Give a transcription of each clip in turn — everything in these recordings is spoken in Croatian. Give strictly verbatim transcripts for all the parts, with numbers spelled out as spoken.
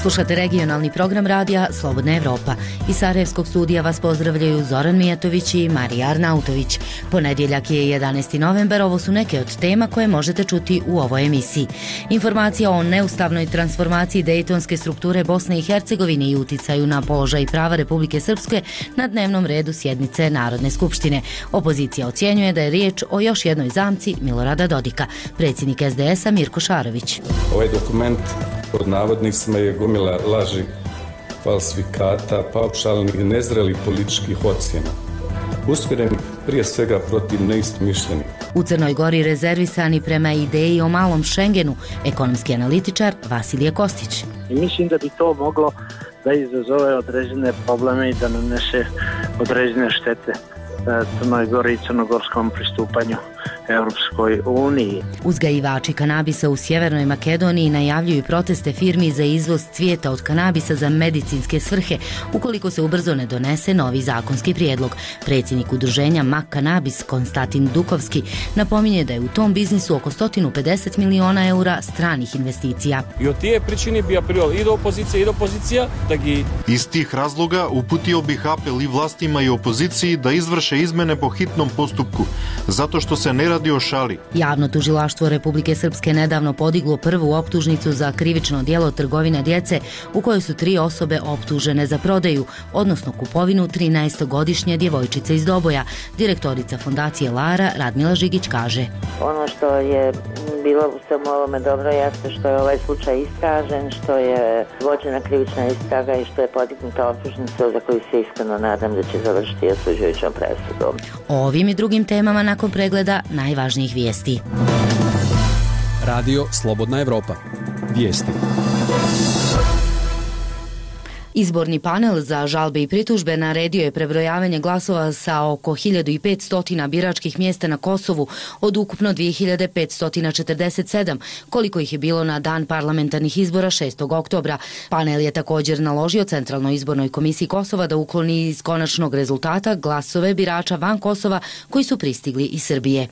Slušate regionalni program radija Slobodna Evropa. Iz Sarajevskog studija vas pozdravljaju Zoran Mijatović i Marija Arnautović. Ponedjeljak je jedanaesti novembar, ovo su neke od tema koje možete čuti u ovoj emisiji. Informacija o neustavnoj transformaciji dejtonske strukture Bosne i Hercegovine i uticaju na položaj i prava Republike Srpske na dnevnom redu sjednice Narodne skupštine. Opozicija ocjenjuje da je riječ o još jednoj zamci Milorada Dodika. Predsjednik es de es a Mirko Šarović. Ovaj dokument pod navodnicima je gomila laži, falsifikata, paušalnih i nezrelih političkih ocjena, usmjerenih prije svega protiv neistomišljenih. U Crnoj Gori rezervisani prema ideji o malom Šengenu, ekonomski analitičar Vasilije Kostić. I mislim da bi to moglo da izazove određene probleme i da nanese određene štete Crnoj Gori i crnogorskom pristupanju Europskoj uniji. Uzgajivači kanabisa u Sjevernoj Makedoniji najavljuju proteste firmi za izvoz cvijeta od kanabisa za medicinske svrhe ukoliko se ubrzo ne donese novi zakonski prijedlog. Predsjednik udruženja Mak Kanabis Konstantin Dukovski napominje da je u tom biznisu oko sto pedeset miliona eura stranih investicija. I od tije pričini bi apelirao i do opozicije i do opozicija da gi... Iz tih razloga uputio bih apel i vlastima i opoziciji da izvrše izmene po hitnom postupku, zato što se ne radi o šali. Javno tužilaštvo Republike Srpske nedavno podiglo prvu optužnicu za krivično djelo trgovine djece u kojoj su tri osobe optužene za prodaju, odnosno kupovinu trinaestogodišnje djevojčice iz Doboja. Direktorica fondacije Lara Radmila Žigić kaže: Ono što je bilo u svemu ovome dobro jeste što je ovaj slučaj istražen, što je vođena krivična istraga i što je podignuta optužnica za koju se iskreno nadam da će završiti osuđujućom presudom. O ovim i drugim temama nakon pregleda najvažnijih vijesti. Radio Slobodna Evropa. Vijesti. Izborni panel za žalbe i pritužbe naredio je prebrojavanje glasova sa oko hiljadu petsto biračkih mjesta na Kosovu od ukupno dvije hiljade petsto četrdeset sedam, koliko ih je bilo na dan parlamentarnih izbora šestog oktobra. Panel je također naložio Centralnoj izbornoj komisiji Kosova da ukloni iz konačnog rezultata glasove birača van Kosova koji su pristigli iz Srbije.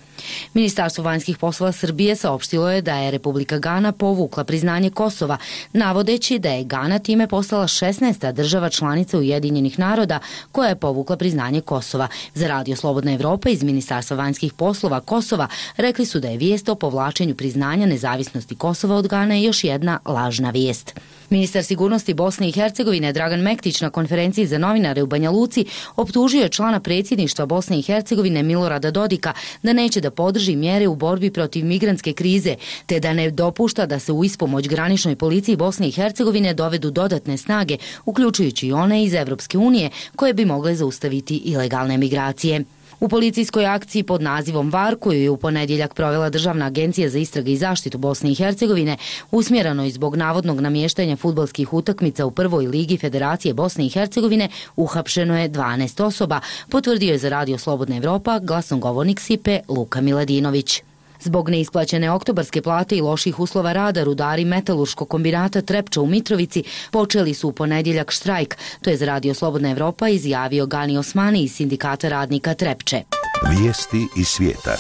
Ministarstvo vanjskih poslova Srbije saopštilo je da je Republika Gana povukla priznanje Kosova, navodeći da je Gana time postala šesnaesta država članica Ujedinjenih naroda koja je povukla priznanje Kosova. Za Radio Slobodna Evropa iz Ministarstva vanjskih poslova Kosova rekli su da je vijest o povlačenju priznanja nezavisnosti Kosova od Gane još jedna lažna vijest. Ministar sigurnosti Bosne i Hercegovine Dragan Mektić na konferenciji za novinare u Banja Luci optužio je člana predsjedništva Bosne i Hercegovine Milorada Dodika da neće da podrži mjere u borbi protiv migrantske krize, te da ne dopušta da se u ispomoć graničnoj policiji Bosne i Hercegovine dovedu dodatne snage, uključujući i one iz Evropske unije, koje bi mogle zaustaviti ilegalne migracije. U policijskoj akciji pod nazivom VAR, koju je u ponedjeljak provela Državna agencija za istrage i zaštitu Bosne i Hercegovine, usmjereno i zbog navodnog namještanja fudbalskih utakmica u prvoj ligi Federacije Bosne i Hercegovine, uhapšeno je dvanaest osoba, potvrdio je za Radio Slobodna Evropa glasnogovornik S I P E Luka Miladinović. Zbog neisplaćene oktobarske plate i loših uslova rada, rudari metalurškog kombinata Trepča u Mitrovici počeli su u ponedjeljak štrajk. To je za Radio Slobodna Evropa izjavio Gani Osmani iz Sindikata radnika Trepče. Vijesti iz svijeta.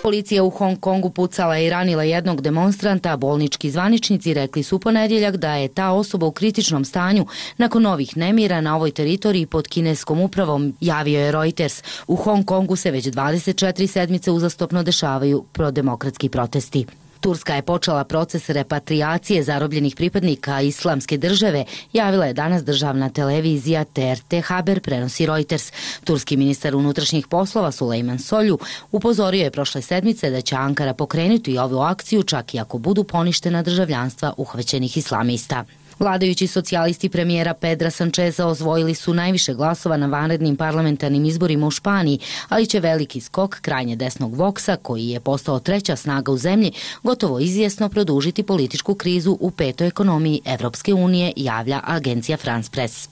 Policija u Hong Kongu pucala i ranila jednog demonstranta, a bolnički zvaničnici rekli su u ponedjeljak da je ta osoba u kritičnom stanju nakon novih nemira na ovoj teritoriji pod kineskom upravom, javio je Reuters. U Hong Kongu se već dvadeset četiri sedmice uzastopno dešavaju prodemokratski protesti. Turska je počela proces repatriacije zarobljenih pripadnika Islamske države, javila je danas državna televizija T R T Haber, prenosi Reuters. Turski ministar unutrašnjih poslova Sulejman Solju upozorio je prošle sedmice da će Ankara pokrenuti ovu akciju čak i ako budu poništena državljanstva uhvaćenih islamista. Vladajući socijalisti premijera Pedra Sancheza osvojili su najviše glasova na vanrednim parlamentarnim izborima u Španiji, ali će veliki skok krajnje desnog Voxa, koji je postao treća snaga u zemlji, gotovo izvjesno produžiti političku krizu u petoj ekonomiji Evropske unije, javlja agencija France Press.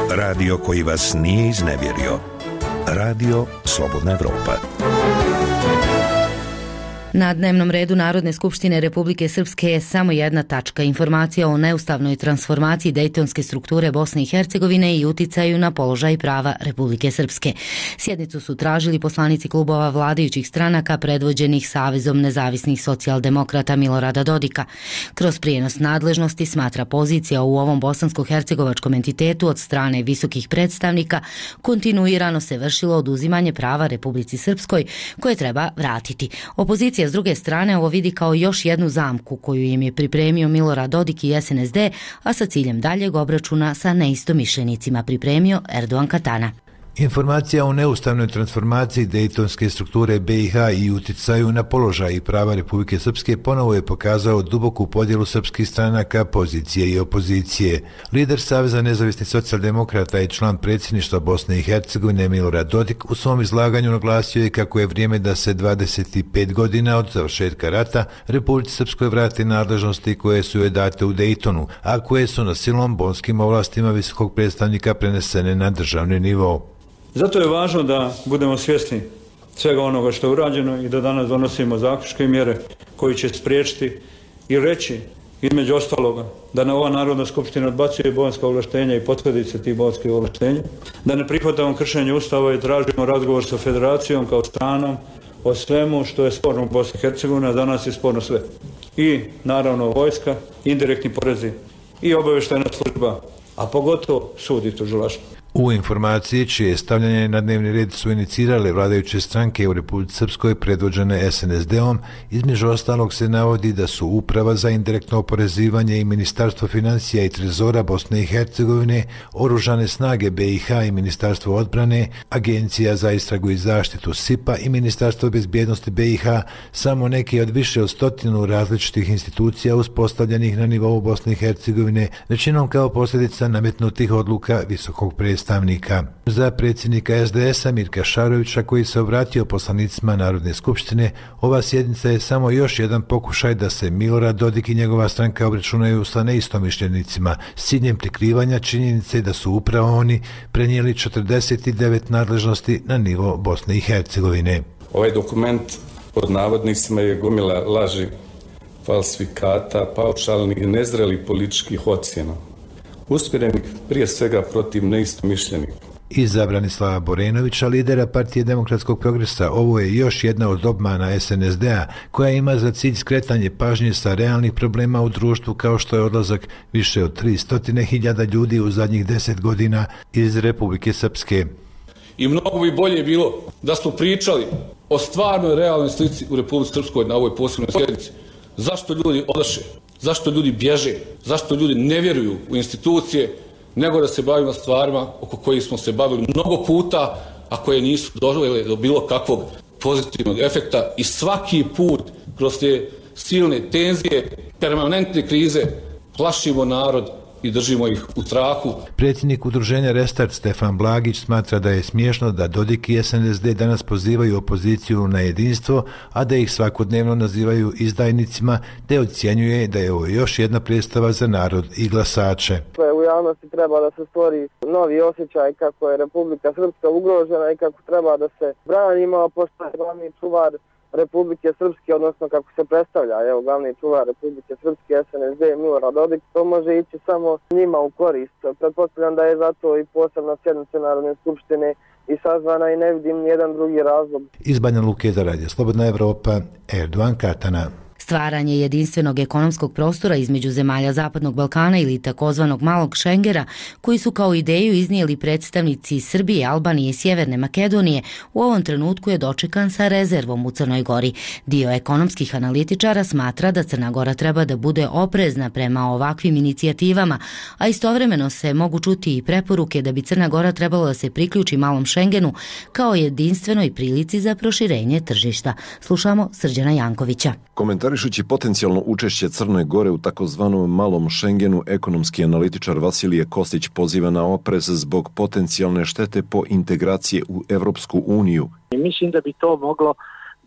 Radio koji vas nije iznevjerio. Radio Slobodna Evropa. Na dnevnom redu Narodne skupštine Republike Srpske je samo jedna tačka, informacija o neustavnoj transformaciji dejtonske strukture Bosne i Hercegovine i uticaju na položaj prava Republike Srpske. Sjednicu su tražili poslanici klubova vladajućih stranaka predvođenih Savezom nezavisnih socijaldemokrata Milorada Dodika. Kroz prijenos nadležnosti, smatra, pozicija u ovom bosansko-hercegovačkom entitetu od strane visokih predstavnika kontinuirano se vršilo oduzimanje prava Republici Srpskoj koje treba vratiti. Opozicija s druge strane ovo vidi kao još jednu zamku koju im je pripremio Milorad Dodik i S N S D, a sa ciljem daljeg obračuna sa neistomišljenicima pripremio Erdogan Katana. Informacija o neustavnoj transformaciji dejtonske strukture B i H i uticaju na položaj i prava Republike Srpske ponovo je pokazao duboku podjelu srpskih stranaka, pozicije i opozicije. Lider Saveza nezavisnih socijaldemokrata i član predsjedništva Bosne i Hercegovine Milorad Dodik u svom izlaganju naglasio je kako je vrijeme da se dvadeset pet godina od završetka rata Republici Srpskoj vrati nadležnosti koje su joj date u Dejtonu, a koje su na silom bonskim ovlastima visokog predstavnika prenesene na državni nivo. Zato je važno da budemo svjesni svega onoga što je urađeno i da danas donosimo zaključke i mjere koji će spriječiti i reći, između ostaloga, da na ova Narodna skupština odbacuje bonska ovlaštenja i posljedice tih bonskih ovlaštenja, da ne prihvatamo kršenje Ustava i tražimo razgovor sa Federacijom kao stranom o svemu što je sporno u Bosni i Hercegovini, a danas je sporno sve. I naravno vojska, indirektni porezi i obavještajna služba, a pogotovo sud i tužilaštvo. U informaciji čije stavljanje na dnevni red su inicirale vladajuće stranke u Republici Srpskoj predvođene S N S D-om, između ostalog se navodi da su Uprava za indirektno oporezivanje i Ministarstvo financija i trezora Bosne i Hercegovine, Oružane snage B i H i Ministarstvo odbrane, Agencija za istragu i zaštitu S I P-a i Ministarstvo bezbjednosti B i H samo neki od više od stotinu različitih institucija uspostavljenih na nivou Bosne i Hercegovine, većinom kao posljedica nametnutih odluka visokog predstavnika. Za predsjednika S D S-a Mirka Šarovića, koji se obratio poslanicima Narodne skupštine, ova sjednica je samo još jedan pokušaj da se Milorad Dodik i njegova stranka obračunaju sa neistomišljenicima s ciljem prikrivanja činjenice da su upravo oni prenijeli četrdeset devet nadležnosti na nivo Bosne i Hercegovine. Ovaj dokument pod navodnicima je gomila laži, falsifikata, paušalnih i nezrelih političkih ocjena, usmjerenih prije svega protiv neistomišljenika. Iza Branislava Borenovića, lidera Partije demokratskog progresa, ovo je još jedna od obmana S N S D-a koja ima za cilj skretanje pažnje sa realnih problema u društvu kao što je odlazak više od tristo hiljada ljudi u zadnjih deset godina iz Republike Srpske. I mnogo bi bolje bilo da smo pričali o stvarnoj realnoj slici u Republici Srpskoj na ovoj posebnoj sjednici. Zašto ljudi odaše? Zašto ljudi bježe? Zašto ljudi ne vjeruju u institucije, nego da se bavimo stvarima oko kojih smo se bavili mnogo puta, a koje nisu dovele do bilo kakvog pozitivnog efekta i svaki put kroz te silne tenzije, permanentne krize plašimo narod i držimo ih u strahu. Predsjednik udruženja Restart Stefan Blagić smatra da je smiješno da Dodik i S N S D danas pozivaju opoziciju na jedinstvo, a da ih svakodnevno nazivaju izdajnicima, te ocjenjuje da je ovo još jedna predstava za narod i glasače. U javnosti treba da se stvori novi osjećaj kako je Republika Srpska ugrožena i kako treba da se branimo, pošto je glavni čuvar Republike Srpske, odnosno kako se predstavlja, evo, glavni čuvar Republike Srpske, S N S D, Milorad Dodik, to može ići samo njima u korist. Pretpostavljam da je zato i posebna sjednica Narodne skupštine i sazvana i ne vidim nijedan drugi razlog. Iz Banja Luke za Radio Slobodna Evropa, Erdogan Katana. Stvaranje jedinstvenog ekonomskog prostora između zemalja Zapadnog Balkana ili takozvanog malog Šengena, koji su kao ideju iznijeli predstavnici Srbije, Albanije i Sjeverne Makedonije, u ovom trenutku je dočekan sa rezervom u Crnoj Gori. Dio ekonomskih analitičara smatra da Crna Gora treba da bude oprezna prema ovakvim inicijativama, a istovremeno se mogu čuti i preporuke da bi Crna Gora trebalo da se priključi malom Šengenu kao jedinstvenoj prilici za proširenje tržišta. Slušamo Srđana Jankovića. Komentarišući potencijalno učešće Crne Gore u takozvanom malom Šengenu, ekonomski analitičar Vasilije Kostić poziva na oprez zbog potencijalne štete po integracije u Evropsku uniju. Mislim da bi to moglo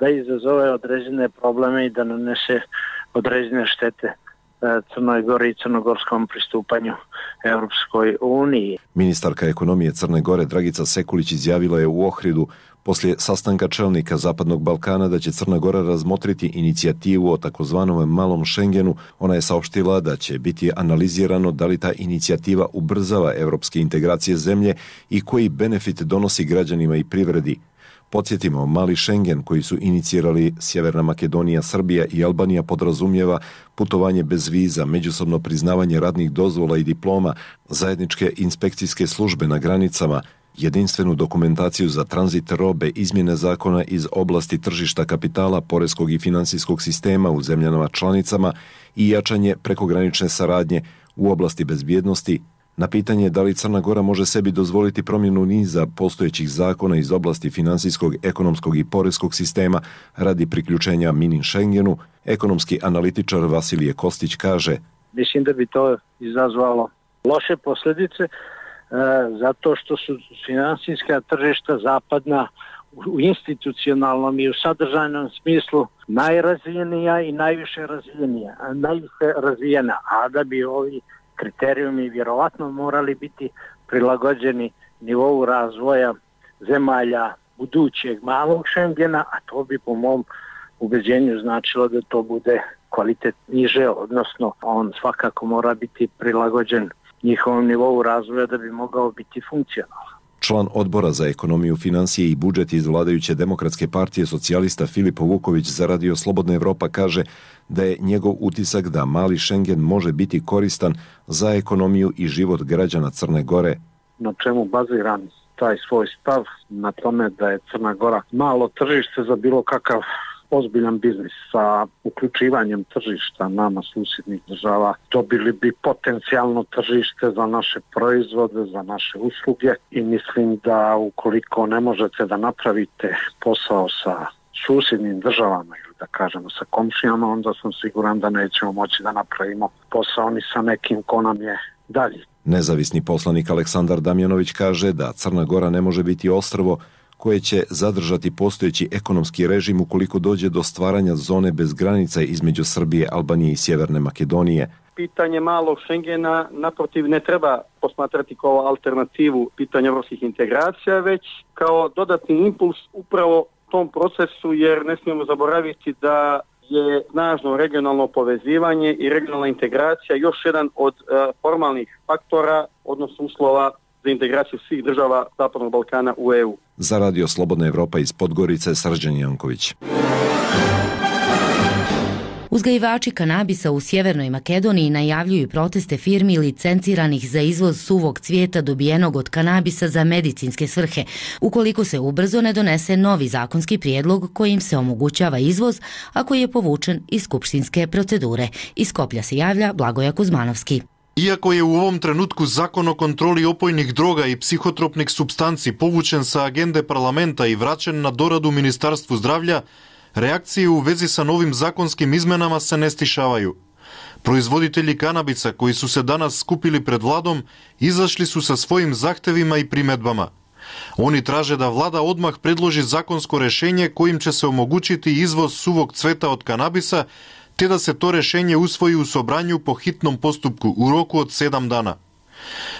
da izazove određene probleme i da nanese određene štete Crnoj Gori i crnogorskom pristupanju Evropskoj uniji. Ministarka ekonomije Crne Gore Dragica Sekulić izjavila je u Ohridu: poslije sastanka čelnika Zapadnog Balkana da će Crna Gora razmotriti inicijativu o takozvanom malom Schengenu, ona je saopštila da će biti analizirano da li ta inicijativa ubrzava evropske integracije zemlje i koji benefit donosi građanima i privredi. Podsjetimo, mali Schengen koji su inicirali Sjeverna Makedonija, Srbija i Albanija podrazumijeva putovanje bez viza, međusobno priznavanje radnih dozvola i diploma, zajedničke inspekcijske službe na granicama, jedinstvenu dokumentaciju za tranzit robe, izmjene zakona iz oblasti tržišta kapitala, poreskog i financijskog sistema u zemljama članicama i jačanje prekogranične saradnje u oblasti bezbjednosti. Na pitanje da li Crna Gora može sebi dozvoliti promjenu niza postojećih zakona iz oblasti financijskog, ekonomskog i poreskog sistema radi priključenja mini Schengenu, ekonomski analitičar Vasilije Kostić kaže: Mislim da bi to izazvalo loše posljedice e, zato što su financijska tržišta zapadna u institucionalnom i u sadržajnom smislu najrazvijenija i najviše razvijenija, najviše razvijena, a da bi ovi kriterijumi vjerovatno morali biti prilagođeni nivou razvoja zemalja budućeg malog Schengena, a to bi po mom ubeđenju značilo da to bude kvalitet niže, odnosno on svakako mora biti prilagođen njihovom nivou razvoja da bi mogao biti funkcionalan. Član odbora za ekonomiju, financije i budžet iz vladajuće Demokratske partije socijalista Filipo Vuković za Radio Slobodna Evropa kaže da je njegov utisak da mali Schengen može biti koristan za ekonomiju i život građana Crne Gore. Na čemu baziram taj svoj stav? Na tome da je Crna Gora malo tržište za bilo kakav ozbiljan biznis. Sa uključivanjem tržišta nama susjednih država dobili bi potencijalno tržište za naše proizvode, za naše usluge i mislim da ukoliko ne možete da napravite posao sa susjednim državama ili da kažemo sa komšijama, onda sam siguran da nećemo moći da napravimo posao ni sa nekim ko nam je dalje. Nezavisni poslanik Aleksandar Damjanović kaže da Crna Gora ne može biti ostrvo koje će zadržati postojeći ekonomski režim ukoliko dođe do stvaranja zone bez granica između Srbije, Albanije i Sjeverne Makedonije. Pitanje malog Schengena naprotiv ne treba posmatrati kao alternativu pitanja evropskih integracija, već kao dodatni impuls upravo tom procesu, jer ne smijemo zaboraviti da je snažno regionalno povezivanje i regionalna integracija još jedan od uh, formalnih faktora, odnosno uslova za integraciju svih država Zapadnog Balkana u E U. Za Radio Slobodna Evropa iz Podgorice, Srđan Janković. Uzgajivači kanabisa u Sjevernoj Makedoniji najavljuju proteste firmi licenciranih za izvoz suvog cvijeta dobijenog od kanabisa za medicinske svrhe, ukoliko se ubrzo ne donese novi zakonski prijedlog kojim se omogućava izvoz, a koji je povučen iz skupštinske procedure. Iz Skoplja se javlja Blagoja Kuzmanovski. Iako je u ovom trenutku zakon o kontroli opojnih droga i psihotropnih supstanci povučen sa agende parlamenta i vraćen na doradu Ministarstvu zdravlja, reakcije u vezi sa novim zakonskim izmenama se ne stišavaju. Proizvoditelji kanabisa koji su se danas skupili pred vladom izašli su sa svojim zahtevima i primedbama. Oni traže da vlada odmah predloži zakonsko rešenje kojim će se omogućiti izvoz suvog cveta od kanabisa, te da se to rešenje usvoji u Sobranju po hitnom postupku u roku od sedam dana.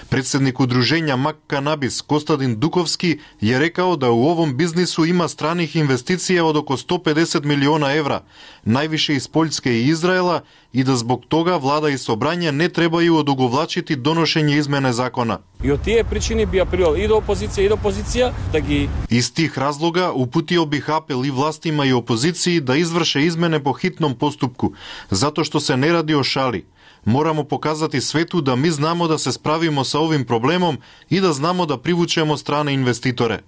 Predsjednik udruženja Mak Kanabis Kostadin Dukovski je rekao da u ovom biznisu ima stranih investicija od oko sto pedeset miliona evra, najviše iz Poljske i Izraela, i da zbog toga vlada i Sobranje ne trebaju odugovlačiti donošenje izmene zakona. I od tije pričini bi apelirao i do opozicije i do opozicija da gi... Iz tih razloga uputio bih apel i vlastima i opoziciji da izvrše izmene po hitnom postupku, zato što se ne radi o šali. Moramo pokazati svetu da mi znamo da se spravimo sa ovim problemom i da znamo da privučemo strane investitore.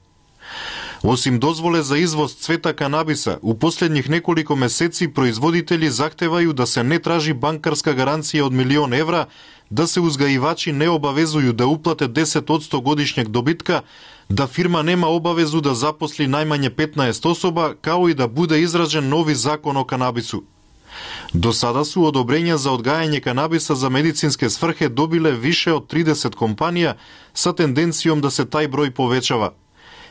Osim dozvole za izvoz cveta kanabisa, u posljednjih nekoliko meseci proizvoditelji zahtevaju da se ne traži bankarska garancija od milion evra, da se uzgajivači ne obavezuju da uplate deset posto godišnjeg dobitka, da firma nema obavezu da zaposli najmanje petnaest osoba, kao i da bude izrađen novi zakon o kanabisu. Do sada su odobrenja za odgajanje kanabisa za medicinske svrhe dobile više od trideset kompanija sa tendencijom da se taj broj povećava.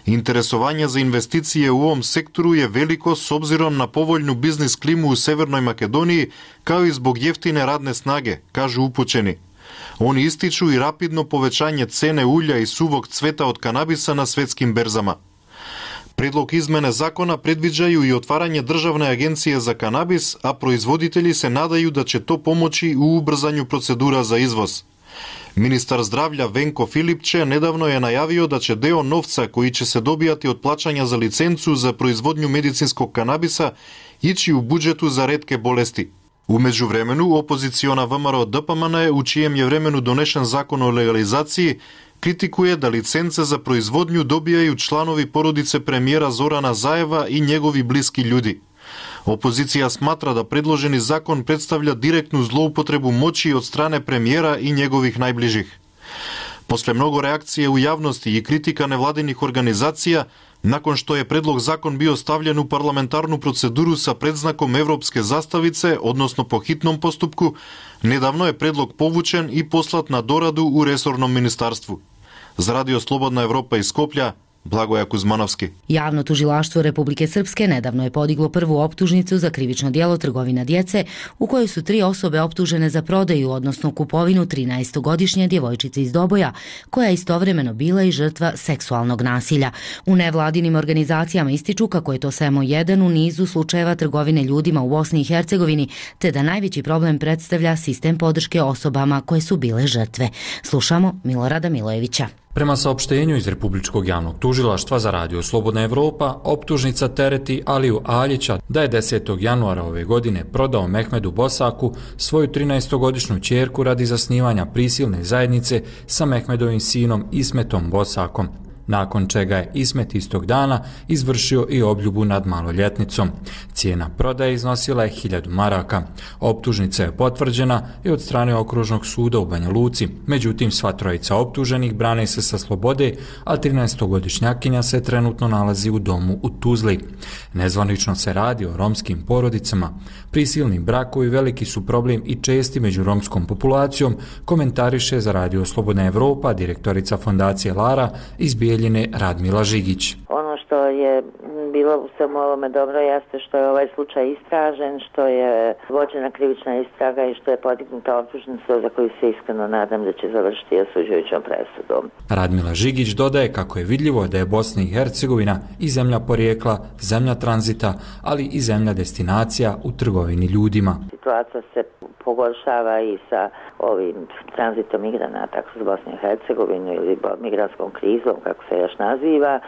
Interesovanje za investicije u ovom sektoru je veliko s obzirom na povoljnu biznis klimu u Severnoj Makedoniji, kao i zbog jeftine radne snage, kažu upućeni. Oni ističu i rapidno povećanje cene ulja i suvog cveta od kanabisa na svetskim berzama. Предлог измене закона предвиđaju и отварање државне агенcije за канабис, а производители се надaju да ќе то помочи у убрзању процедура за извоз. Министар здравља Венко Филипче недавно е најавио да ќе део новца кои ќе се добијати од плаќања за лиценцу за производњу медицинскog канабиса ичи у буџету за ретке болести. У меѓувремену, опозициона ВМРО Д П М Н, у чием е времену донешен закон о легализацији, критикуе да лиценце за производњу добијају чланови породице премиера Зорана Заева и негови блиски људи. Опозиција сматра да предложени закон представља директну злоупотребу моќи од стране премиера и негових најближих. После многу реакција у јавности и критика невладиних организација, након што е предлог закон био ставлjen у парламентарну процедуру са предзнаком европске заставице, односно по хитном поступку, недавно е предлог повучен и послат на дораду у ресорном министарству. За Радио Слободна Европа из Скопља, Благоја Кузмановски. Javno tužilaštvo Republike Srpske nedavno je podiglo prvu optužnicu za krivično djelo trgovina djece, u kojoj su tri osobe optužene za prodaju, odnosno kupovinu trinaestogodišnje djevojčice iz Doboja, koja je istovremeno bila i žrtva seksualnog nasilja. U nevladinim organizacijama ističu kako je to samo jedan u nizu slučajeva trgovine ljudima u Bosni i Hercegovini, te da najveći problem predstavlja sistem podrške osobama koje su bile žrtve. Slušamo Milorada Milojevića. Prema saopštenju iz Republičkog javnog tužilaštva za Radio Slobodna Evropa, optužnica tereti Aliju Aljića da je desetog januara ove godine prodao Mehmedu Bosaku svoju trinaestogodišnju ćerku radi zasnivanja prisilne zajednice sa Mehmedovim sinom Ismetom Bosakom, nakon čega je Ismet istog dana izvršio i obljubu nad maloljetnicom. Cijena prodaje iznosila je hiljadu maraka. Optužnica je potvrđena i od strane Okružnog suda u Banja Luci. Međutim, sva trojica optuženih brane se sa slobode, a trinaestogodišnjakinja se trenutno nalazi u domu u Tuzli. Nezvanično se radi o romskim porodicama. Prisilni brakovi veliki su problem i česti među romskom populacijom, komentariše za Radio Slobodna Evropa direktorica fondacije Lara iz Bijeljine Radmila Žigić. Ono što je bilo u svemu ovome dobro jeste što je ovaj slučaj istražen, što je vođena krivična istraga i što je podignuta optužnica za koju se iskreno nadam da će završiti osuđujućom presudom. Radmila Žigić dodaje kako je vidljivo da je Bosna i Hercegovina i zemlja porijekla, zemlja tranzita, ali i zemlja destinacija u trgovini ljudima. Situacija se pogoršava i sa ovim tranzitom migranata kroz Bosnu i Hercegovinu ili migrantskom krizom, kako se još naziva,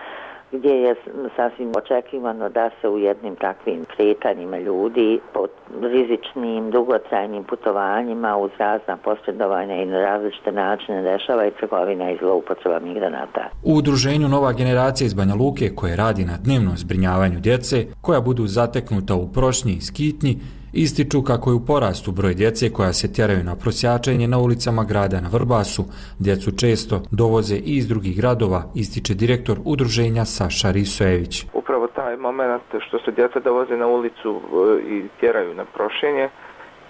gdje je sasvim očekivano da se u jednim takvim kretanjima ljudi po rizičnim, dugotrajnim putovanjima uz razna posredovanja i na različite načine dešava i trgovina i zloupotreba migranata. U udruženju Nova generacija iz Banja Luke, koje radi na dnevnom zbrinjavanju djece, koja budu zateknuta u Prošnji i Skitnji, ističu kako je u porastu broj djece koja se tjeraju na prosjačenje na ulicama grada na Vrbasu. Djecu često dovoze i iz drugih gradova, ističe direktor udruženja Saša Risojević. Upravo taj moment što se djeca dovoze na ulicu i tjeraju na prošenje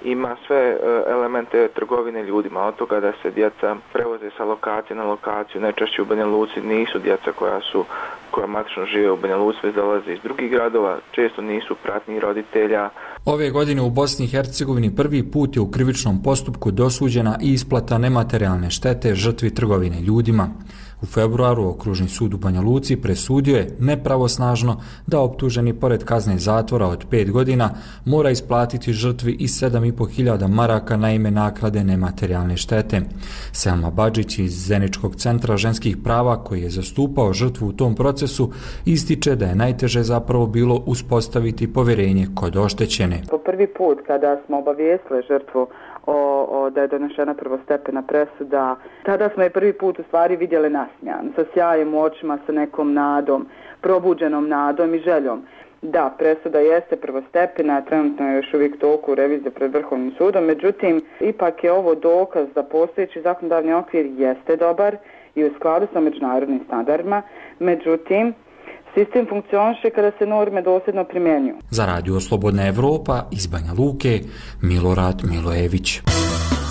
ima sve elemente trgovine ljudima, od toga da se djeca prevoze sa lokacije na lokaciju, najčešće u Banja Luci nisu djeca koja su koja matično žive u Banja Luci, već dolaze iz drugih gradova, često nisu pratnji roditelja. Ove godine u Bosni i Hercegovini prvi put je u krivičnom postupku dosuđena i isplata nematerijalne štete žrtvi trgovine ljudima. U februaru Okružni sud u Banja Luci presudio je nepravosnažno da optuženi pored kazne zatvora od pet godina mora isplatiti žrtvi i sedam i po hiljada maraka na ime naklade nematerijalne štete. Selma Badžić iz Zeničkog centra ženskih prava, koji je zastupao žrtvu u tom procesu, ističe da je najteže zapravo bilo uspostaviti povjerenje kod oštećene. Po prvi put kada smo obavijestili žrtvu O, o, da je donešena prvostepena presuda. Tada smo je prvi put u stvari vidjeli nasmijan, sa sjajem u očima, sa nekom nadom, probuđenom nadom i željom. Da, presuda jeste prvostepena, trenutno je još uvijek toliko u reviziji pred Vrhovnim sudom, međutim, ipak je ovo dokaz da postojeći zakonodavni okvir jeste dobar i u skladu sa međunarodnim standardima, međutim, sistem funkcioniše kada se norme dosljedno primjenjuju. Za Radio Slobodna Evropa iz Banja Luke, Milorad Milojević.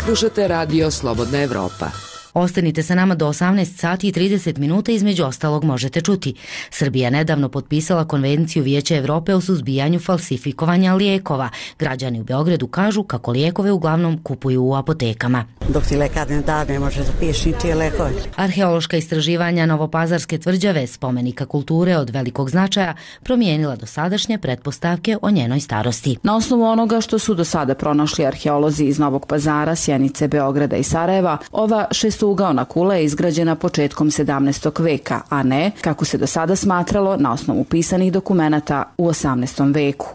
Slušate Radio Slobodna Evropa. Ostanite sa nama do osamnaest sati i trideset minuta, između ostalog možete čuti. Srbija nedavno potpisala Konvenciju Vijeća Evrope o suzbijanju falsifikovanja lijekova. Građani u Beogradu kažu kako lijekove uglavnom kupuju u apotekama. Dok ti lekar ne da, ne može zapiši ti lekove. Arheološka istraživanja Novopazarske tvrđave, spomenika kulture od velikog značaja, promijenila dosadašnje pretpostavke o njenoj starosti. Na osnovu onoga što su do sada pronašli arheolozi iz Novog Pazara, Sjenice, Beograda i Sarajeva, ova šestougaona kula je izgrađena početkom sedamnaestog veka, a ne, kako se do sada smatralo, na osnovu pisanih dokumenata u osamnaestom veku.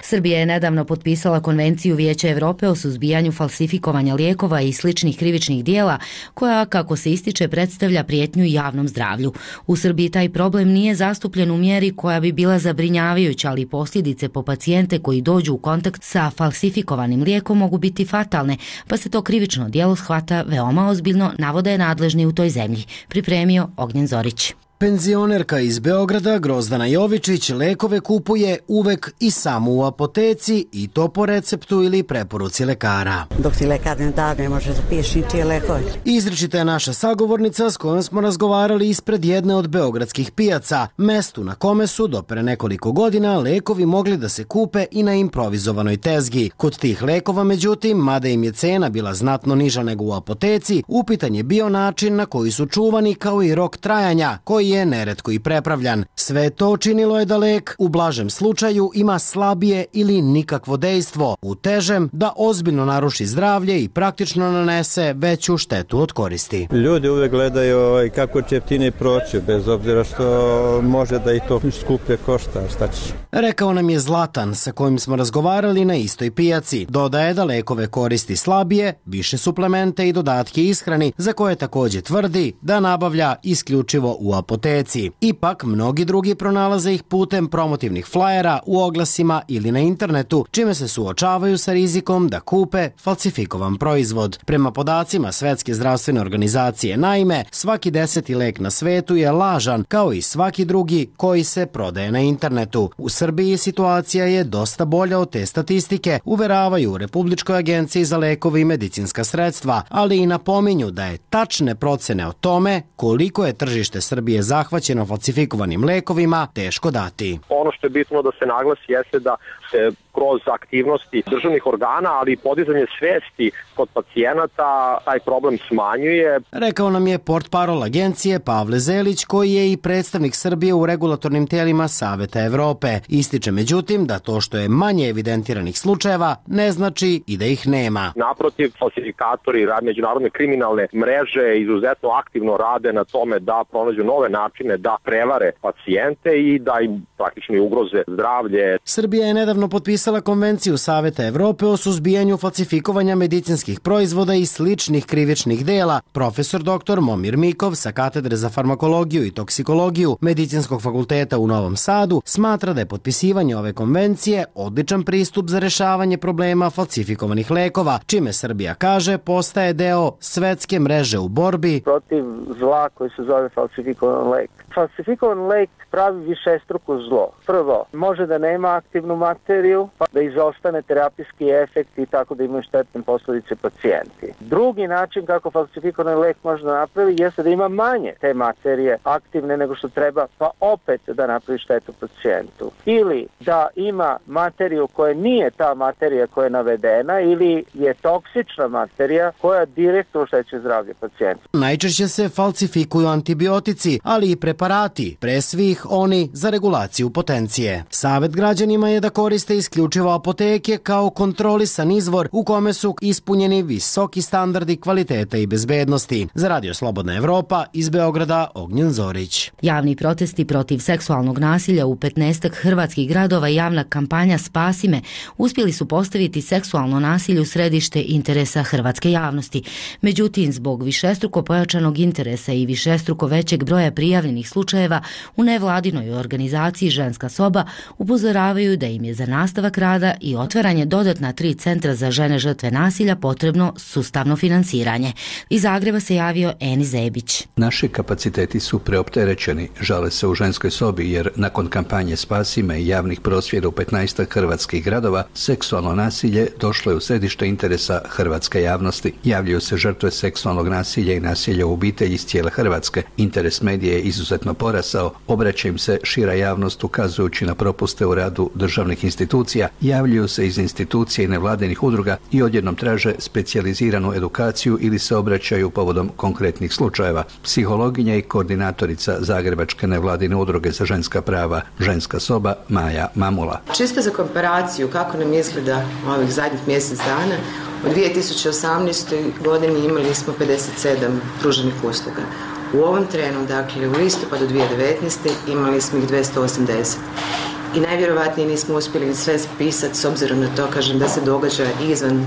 Srbija je nedavno potpisala Konvenciju Vijeća Evrope o suzbijanju falsifikovanja lijekova i sličnih krivičnih dijela, koja, kako se ističe, predstavlja prijetnju javnom zdravlju. U Srbiji taj problem nije zastupljen u mjeri koja bi bila zabrinjavajuća, ali posljedice po pacijente koji dođu u kontakt sa falsifikovanim lijekom mogu biti fatalne, pa se to krivično djelo shvata veoma ozbiljno, navode nadležni u toj zemlji. Pripremio Ognjen Zorić. Penzionerka iz Beograda Grozdana Jovičić lekove kupuje uvek i samo u apoteci, i to po receptu ili preporuci lekara. Dok ti lekar ne da, ne može zapiši ti lekove. Izričita je naša sagovornica s kojom smo razgovarali ispred jedne od beogradskih pijaca, mestu na kome su do pre nekoliko godina lekovi mogli da se kupe i na improvizovanoj tezgi. Kod tih lekova, međutim, mada im je cena bila znatno niža nego u apoteci, upitan je bio način na koji su čuvani, kao i rok trajanja, koji je neretko i prepravljan. Sve to činilo je da lek u blažem slučaju ima slabije ili nikakvo dejstvo, u težem da ozbiljno naruši zdravlje i praktično nanese veću štetu od koristi. Ljudi uvek gledaju kako će jeftine proći, bez obzira što može da i to skuplje košta, šta će. Rekao nam je Zlatan, sa kojim smo razgovarali na istoj pijaci. Dodaje da lekove koristi slabije, više suplemente i dodatke ishrani, za koje također tvrdi da nabavlja isključivo u apoteci. Ipak, mnogi drugi pronalaze ih putem promotivnih flajera u oglasima ili na internetu, čime se suočavaju sa rizikom da kupe falsifikovan proizvod. Prema podacima Svetske zdravstvene organizacije, naime, svaki deseti lek na svetu je lažan, kao i svaki drugi koji se prodaje na internetu. U Srbiji situacija je dosta bolja od te statistike, uveravaju u Republičkoj agenciji za lekove i medicinska sredstva, ali i napominju da je tačne procene o tome koliko je tržište Srbije zahvaćeno falsifikovanim lekovima teško dati. Ono što je bitno da se naglasi jeste da se kroz aktivnosti državnih organa, ali i podizanje svesti kod pacijenata taj problem smanjuje. Rekao nam je portparol agencije Pavle Zelić, koji je i predstavnik Srbije u regulatornim tijelima Saveta Evrope. Ističe međutim da to što je manje evidentiranih slučajeva ne znači i da ih nema. Naprotiv, falsifikatori, međunarodne kriminalne mreže izuzetno aktivno rade na tome da pronađu nove načine da prevare pacijente i da im praktično ugroze zdravlje. Srbija je nedavno potpisala Konvenciju Saveta Evrope o suzbijanju falsifikovanja medicinskih proizvoda i sličnih krivičnih dela. Profesor doktor Momir Mikov sa Katedre za farmakologiju i toksikologiju Medicinskog fakulteta u Novom Sadu smatra da je potpisivanje ove konvencije odličan pristup za rešavanje problema falsifikovanih lekova, čime Srbija, kaže, postaje deo svetske mreže u borbi protiv zla koji se zove falsifikovan lek. Falsifikovan lek pravi višestruko zlo. Prvo, može da nema aktivnu materiju, pa da izostane terapijski efekt i tako da imaju štetne posljedice pacijenti. Drugi način kako falsifikovan lek može da napravi jeste da ima manje te materije aktivne nego što treba, pa opet da napravi štetu pacijentu. Ili da ima materiju koja nije ta materija koja je navedena, ili je toksična materija koja direktno oštećuje zdravlje pacijenta. Najčešće se falsifikuju antibiotici, ali i preparati, pre svih oni za regulaciju potencije. Savet građanima je da koriste isključivo apoteke kao kontrolisan izvor u kome su ispunjeni visoki standardi kvalitete i bezbednosti. Za Radio Slobodna Evropa, iz Beograda, Ognjen Zorić. Javni protesti protiv seksualnog nasilja u petnaestak hrvatskih gradova i javna kampanja Spasi me uspjeli su postaviti seksualno nasilje u središte interesa hrvatske javnosti. Međutim, zbog višestruko pojačanog interesa i višestruko većeg broja prijavljenih slučajeva u nevladinoj organizaciji Ženska soba upozoravaju da im je za nastavak rada i otvaranje dodatna tri centra za žene žrtve nasilja potrebno sustavno finansiranje. Iz Zagreba se javio Eni Zebić. Naši kapaciteti su preopterećeni, žale se u ženskoj sobi, jer nakon kampanje Spasi me i javnih prosvjeda u petnaestak hrvatskih gradova, seksualno nasilje došlo je u središte interesa hrvatske javnosti. Javljaju se žrtve seksualnog nasilja i nasilja u obitelji iz cijele Hrvatske. Interes medije je izuzetno porasao, obraća im se šira javnost ukazujući na propuste u radu državnih institucija, javljaju se iz institucija i nevladinih udruga i odjednom traže specijaliziranu edukaciju ili se obraćaju povodom konkretnih slučajeva. Psihologinja i koordinatorica Zagrebačke nevladine udruge za ženska prava Ženska soba Maja Mamula. Čisto za komparaciju kako nam izgleda ovih zadnjih mjesec dana, u dvije tisuće osamnaestoj godini imali smo pedeset sedam pruženih usluga. U ovom trenu, dakle u listopadu dvije tisuće devetnaeste. imali smo ih dvjesto osamdeset. I najvjerovatnije nismo uspjeli sve spisati s obzirom na to, kažem, da se događa izvan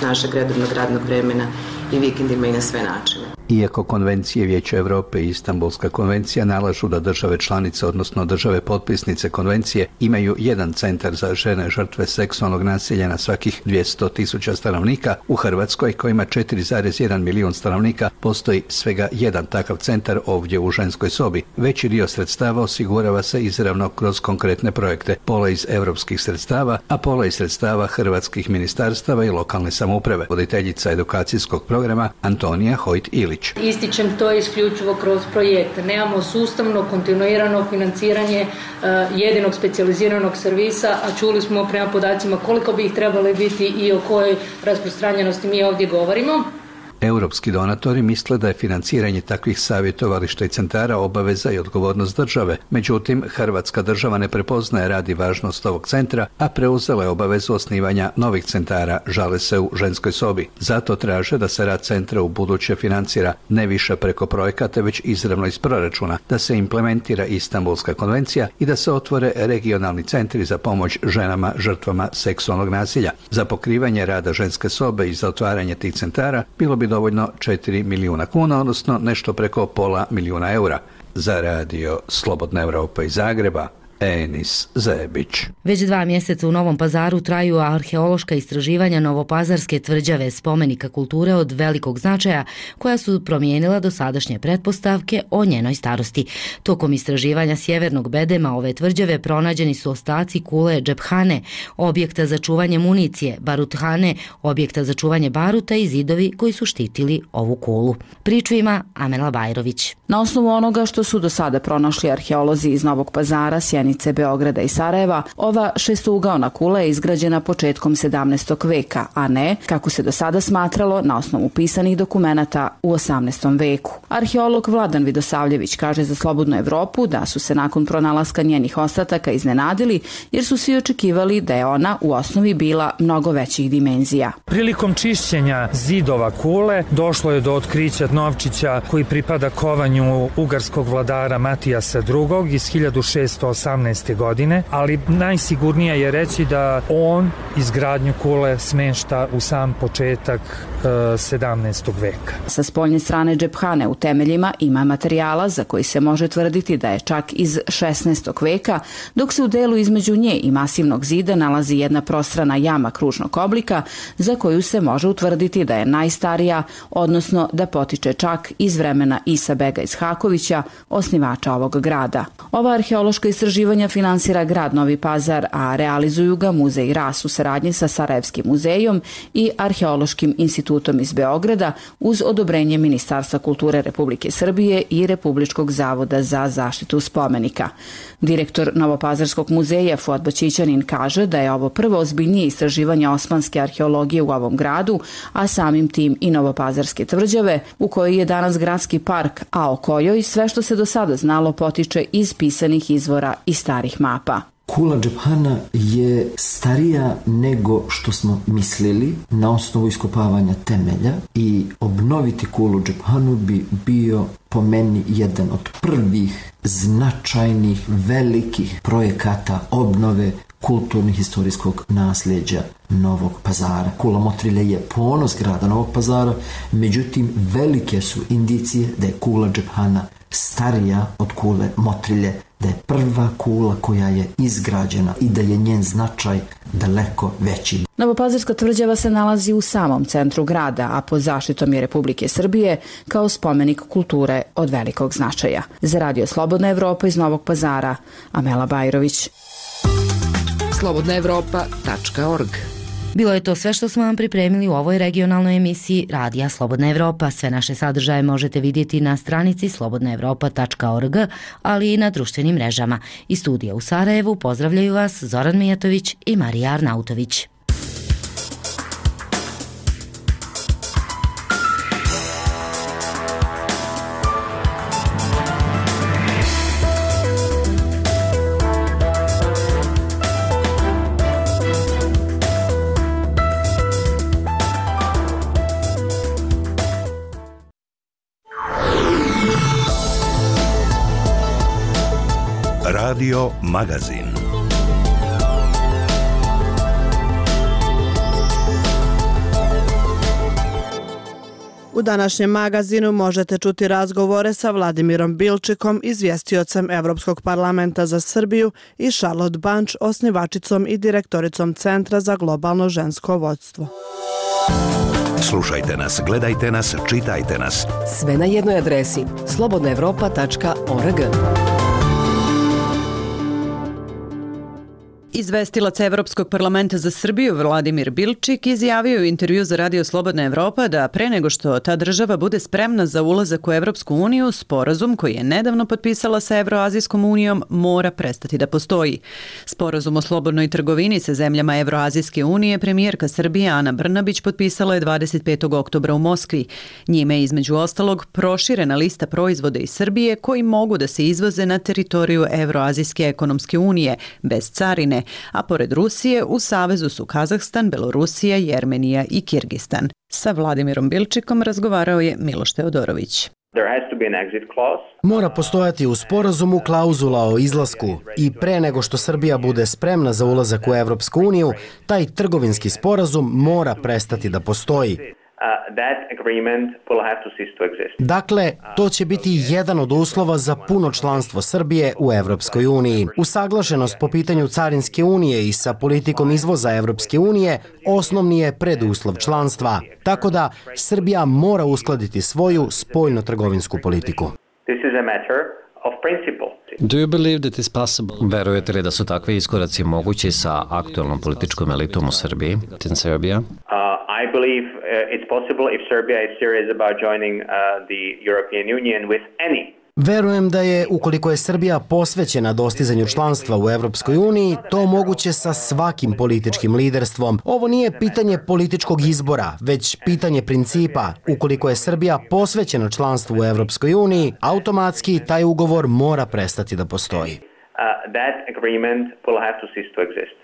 našeg redovnog radnog vremena i vikendima i na sve načine. Iako konvencije Vijeća Europe i Istanbulska konvencija nalažu da države članice, odnosno države potpisnice konvencije, imaju jedan centar za žene žrtve seksualnog nasilja na svakih dvjesto tisuća stanovnika, u Hrvatskoj, koja ima četiri zarez jedan milijun stanovnika, postoji svega jedan takav centar ovdje u Ženskoj sobi. Veći dio sredstava osigurava se izravno kroz konkretne projekte, pola iz europskih sredstava, a pola iz sredstava hrvatskih ministarstava i lokalne samouprave. Voditeljica edukacijskog programa Antonija Hojt-Ilić. Ističem to isključivo kroz projekte. Nemamo sustavno, kontinuirano financiranje uh, jedinog specijaliziranog servisa, a čuli smo prema podacima koliko bi ih trebali biti i o kojoj rasprostranjenosti mi ovdje govorimo. Europski donatori misle da je financiranje takvih savjetovališta i centara obaveza i odgovornost države. Međutim, Hrvatska država ne prepoznaje rad i važnost ovog centra, a preuzela je obavezu osnivanja novih centara, žale se u Ženskoj sobi. Zato traže da se rad centra u buduće financira ne više preko projekata, već izravno iz proračuna, da se implementira Istanbulska konvencija i da se otvore regionalni centri za pomoć ženama žrtvama seksualnog nasilja. Za pokrivanje rada Ženske sobe i za otvaranje tih centara bilo bi dovoljno četiri milijuna kuna, odnosno nešto preko pola milijuna eura. Za radio Slobodna Evropa iz Zagreba, Enis Zebić. Već dva mjeseca u Novom Pazaru traju arheološka istraživanja Novopazarske tvrđave, spomenika kulture od velikog značaja, koja su promijenila dosadašnje pretpostavke o njenoj starosti. Tokom istraživanja sjevernog bedema ove tvrđave pronađeni su ostaci kule džephane, objekta za čuvanje municije, baruthane, objekta za čuvanje baruta i zidovi koji su štitili ovu kulu. Priču ima Amela Bajrović. Na osnovu onoga što su do sada pronašli arheolozi iz Novog Pazara, Sjenice, Beograda i Sarajeva, ova šestougaona kula je izgrađena početkom sedamnaestog veka, a ne, kako se do sada smatralo, na osnovu pisanih dokumenata u osamnaestom veku. Arheolog Vladan Vidosavljević kaže za Slobodnu Evropu da su se nakon pronalaska njenih ostataka iznenadili, jer su svi očekivali da je ona u osnovi bila mnogo većih dimenzija. Prilikom čišćenja zidova kule došlo je do otkrića novčića koji pripada kovanju ugarskog vladara Matijasa drugog iz hiljadu šeststo osamnaeste. godine, ali najsigurnije je reći da on izgradnju kule smešta u sam početak e, sedamnaestog veka. Sa spoljne strane džephane u temeljima ima materijala za koji se može tvrditi da je čak iz šesnaestog veka, dok se u delu između nje i masivnog zida nalazi jedna prostrana jama kružnog oblika za koju se može utvrditi da je najstarija, odnosno da potiče čak iz vremena Isa Bega Ishakovića, osnivača ovog grada. Ova arheološka istraživanja finansira grad Novi Pazar, a realizuju ga Muzej Ras u saradnji sa Sarajevskim muzejom i Arheološkim institutom iz Beograda uz odobrenje Ministarstva kulture Republike Srbije i Republičkog zavoda za zaštitu spomenika. Direktor Novopazarskog muzeja Fuad Bačićanin kaže da je ovo prvo ozbiljnije istraživanje osmanske arheologije u ovom gradu, a samim tim i Novopazarske tvrđave, u kojoj je danas gradski park, a o kojoj sve što se do sada znalo potiče iz pisanih izvora i starih mapa. Kula džephana je starija nego što smo mislili na osnovu iskopavanja temelja i obnoviti kulu džephanu bi bio po meni jedan od prvih značajnih velikih projekata obnove kulturno-historijskog nasljeđa Novog Pazara. Kula Motrilje je ponos grada Novog Pazara, međutim velike su indicije da je kula džephana starija od kule Motrilje da je prva kula koja je izgrađena i da je njen značaj daleko veći. Novopazarska tvrđava se nalazi u samom centru grada, a pod zaštitom je Republike Srbije kao spomenik kulture od velikog značaja. Za Radio Slobodna Evropa iz Novog Pazara, Amela Bajrović. slobodna evropa tačka org. Bilo je to sve što smo vam pripremili u ovoj regionalnoj emisiji Radija Slobodna Evropa. Sve naše sadržaje možete vidjeti na stranici slobodna evropa tačka org, ali i na društvenim mrežama. Iz studija u Sarajevu pozdravljaju vas Zoran Mijatović i Marija Arnautović. Radio Magazin. U današnjem magazinu možete čuti razgovore sa Vladimirom Bilčikom, izvjestiocem Evropskog parlamenta za Srbiju, i Charlotte Bunch, osnivačicom i direktoricom Centra za globalno žensko vodstvo. Slušajte nas, gledajte nas, čitajte nas. Sve na jednoj adresi slobodna evropa tačka org. Izvestilac Evropskog parlamenta za Srbiju Vladimir Bilčik izjavio u intervju za Radio Slobodna Evropa da pre nego što ta država bude spremna za ulazak u Evropsku uniju, sporazum koji je nedavno potpisala sa Evroazijskom unijom mora prestati da postoji. Sporazum o slobodnoj trgovini sa zemljama Evroazijske unije premijerka Srbije Ana Brnabić potpisala je dvadeset petog oktobra u Moskvi. Njime je između ostalog proširena lista proizvoda iz Srbije koji mogu da se izvoze na teritoriju Evroazijske ekonomske unije bez carine, a pored Rusije u savezu su Kazahstan, Belorusija, Jermenija i Kirgistan. Sa Vladimirom Bilčikom razgovarao je Miloš Teodorović. Mora postojati u sporazumu klauzula o izlasku i pre nego što Srbija bude spremna za ulazak u Evropsku uniju, taj trgovinski sporazum mora prestati da postoji. Dakle, to će biti jedan od uslova za puno članstvo Srbije u Evropskoj uniji. Usaglašenost po pitanju Carinske unije i sa politikom izvoza Evropske unije osnovni je preduslov članstva. Tako da Srbija mora uskladiti svoju spoljno-trgovinsku politiku. Do you believe that is possible? Verujete li da su takvi iskoraci mogući sa aktualnom političkom elitom u Srbiji, in Serbia? I believe uh, it's possible if Serbia is serious about joining uh, the European Union with any. Verujem da je, ukoliko je Srbija posvećena dostizanju članstva u Evropskoj uniji, to moguće sa svakim političkim liderstvom. Ovo nije pitanje političkog izbora, već pitanje principa. Ukoliko je Srbija posvećena članstvu u Evropskoj uniji, automatski taj ugovor mora prestati da postoji. Uh, that agreement will have to cease to exist.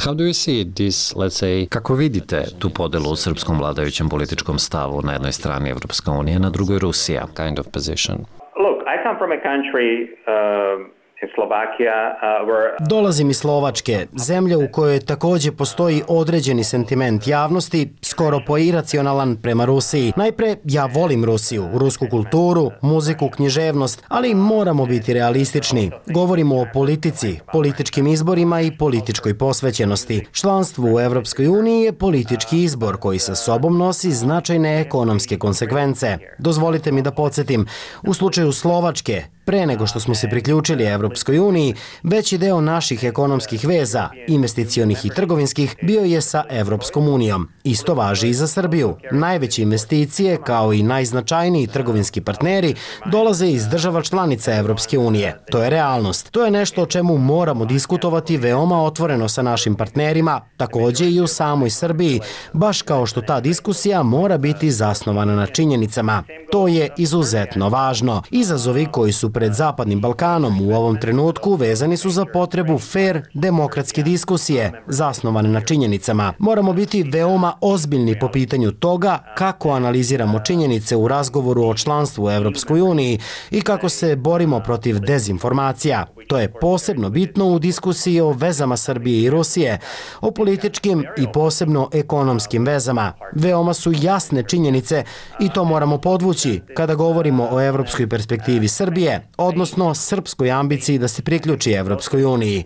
How do you see this, let's say... Kako vidite tu podelu u srpskom vladajućem političkom stavu, na jednoj strani Evropska unija, na drugoj Rusija? Kind of position. Look, I come from a country uh, in Slovakia uh, where... Dolazim iz Slovačke, zemlje u kojoj takođe postoji određeni sentiment javnosti, skoro poiracionalan prema Rusiji. Najpre, ja volim Rusiju, rusku kulturu, muziku, književnost, ali moramo biti realistični. Govorimo o politici, političkim izborima i političkoj posvećenosti. Članstvo u Evropskoj uniji je politički izbor koji sa sobom nosi značajne ekonomske konsekvence. Dozvolite mi da podsjetim, u slučaju Slovačke, pre nego što smo se priključili Evropskoj uniji, veći deo naših ekonomskih veza, investicionih i trgovinskih, bio je sa Evropskom unijom. Isto važi i za Srbiju. Najveće investicije, kao i najznačajniji trgovinski partneri, dolaze iz država članica Evropske unije. To je realnost. To je nešto o čemu moramo diskutovati veoma otvoreno sa našim partnerima, takođe i u samoj Srbiji, baš kao što ta diskusija mora biti zasnovana na činjenicama. To je izuzetno važno. Izazovi koji su pred Zapadnim Balkanom u ovom trenutku vezani su za potrebu fair demokratske diskusije, zasnovane na činjenicama. Moramo biti veoma ozbiljni po pitanju toga kako analiziramo činjenice u razgovoru o članstvu u Evropskoj uniji i kako se borimo protiv dezinformacija. To je posebno bitno u diskusiji o vezama Srbije i Rusije, o političkim i posebno ekonomskim vezama. Veoma su jasne činjenice i to moramo podvući kada govorimo o evropskoj perspektivi Srbije, odnosno srpskoj ambiciji da se priključi Evropskoj uniji.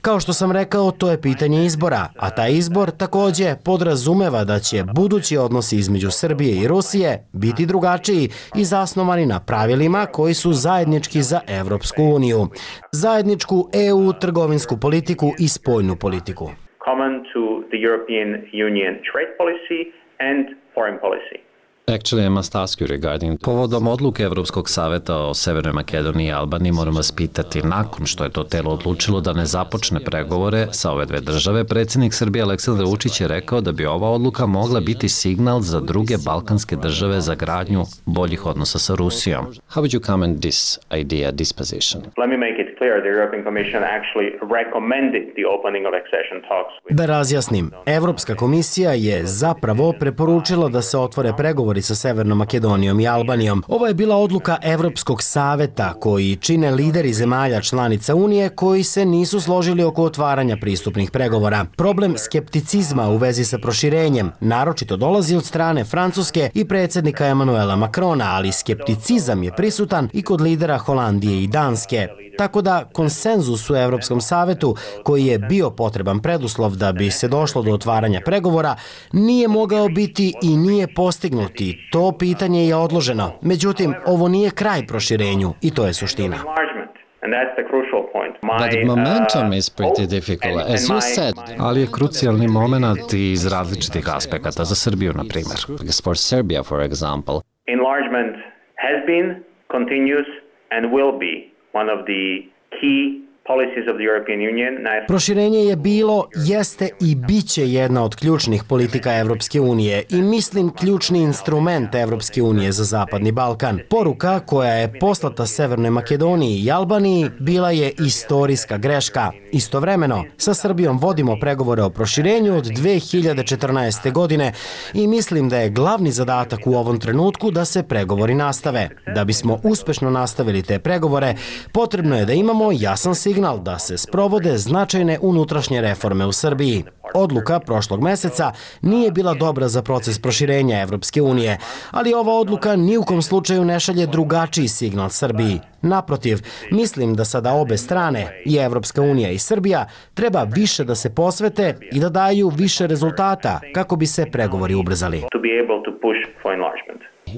Kao što sam rekao, to je pitanje izbora, a taj izbor takođe podrazumeva da će budući odnosi između Srbije i Rusije biti drugačiji i zasnovani na pravilima koji su zajednički za Evropsku uniju. Zajedničku E U trgovinsku politiku i spoljnu politiku. Common to the European Union trade policy and foreign policy. Actually, I must ask you regarding... Povodom odluke Evropskog saveta o Severnoj Makedoniji i Albaniji moram vas pitati, nakon što je to telo odlučilo da ne započne pregovore sa ove dve države, predsjednik Srbije Aleksandar Vučić je rekao da bi ova odluka mogla biti signal za druge balkanske države za gradnju boljih odnosa sa Rusijom. How would you comment this idea, this position? Let me make it clear, the European Commission actually recommended the opening of accession talks. Da razjasnim, Evropska komisija je zapravo preporučila da se otvore pregovori sa Severnom Makedonijom i Albanijom. Ovo je bila odluka Evropskog saveta koji čine lideri zemalja članica Unije koji se nisu složili oko otvaranja pristupnih pregovora. Problem skepticizma u vezi sa proširenjem naročito dolazi od strane Francuske i predsjednika Emanuela Macrona, ali skepticizam je prisutan i kod lidera Holandije i Danske. Tako da konsenzus u Evropskom savetu, koji je bio potreban preduslov da bi se došlo do otvaranja pregovora, nije mogao biti i nije postignuti. To pitanje je odloženo. Međutim, ovo nije kraj proširenju i to je suština. But the momentum is pretty difficult, as you said. Ali je krucijalni moment iz različitih aspekata za Srbiju, na primjer. For Serbia, for example. Enlargement has been, continues and will be one of the key policies of the European Union. Proširenje je bilo, jeste i biće jedna od ključnih politika Evropske unije i mislim ključni instrument Evropske unije za Zapadni Balkan. Poruka koja je poslata Severnoj Makedoniji i Albaniji bila je istorijska greška. Istovremeno, sa Srbijom vodimo pregovore o proširenju od dve hiljade četrnaeste. godine i mislim da je glavni zadatak u ovom trenutku da se pregovori nastave. Da bismo uspešno nastavili te pregovore, potrebno je da imamo jasan signal da se sprovode značajne unutrašnje reforme u Srbiji. Odluka prošlog meseca nije bila dobra za proces proširenja Evropske unije, ali ova odluka ni u kom slučaju ne šalje drugačiji signal Srbiji. Naprotiv, mislim da sada obe strane, i Evropska unija i Srbija, treba više da se posvete i da daju više rezultata kako bi se pregovori ubrzali.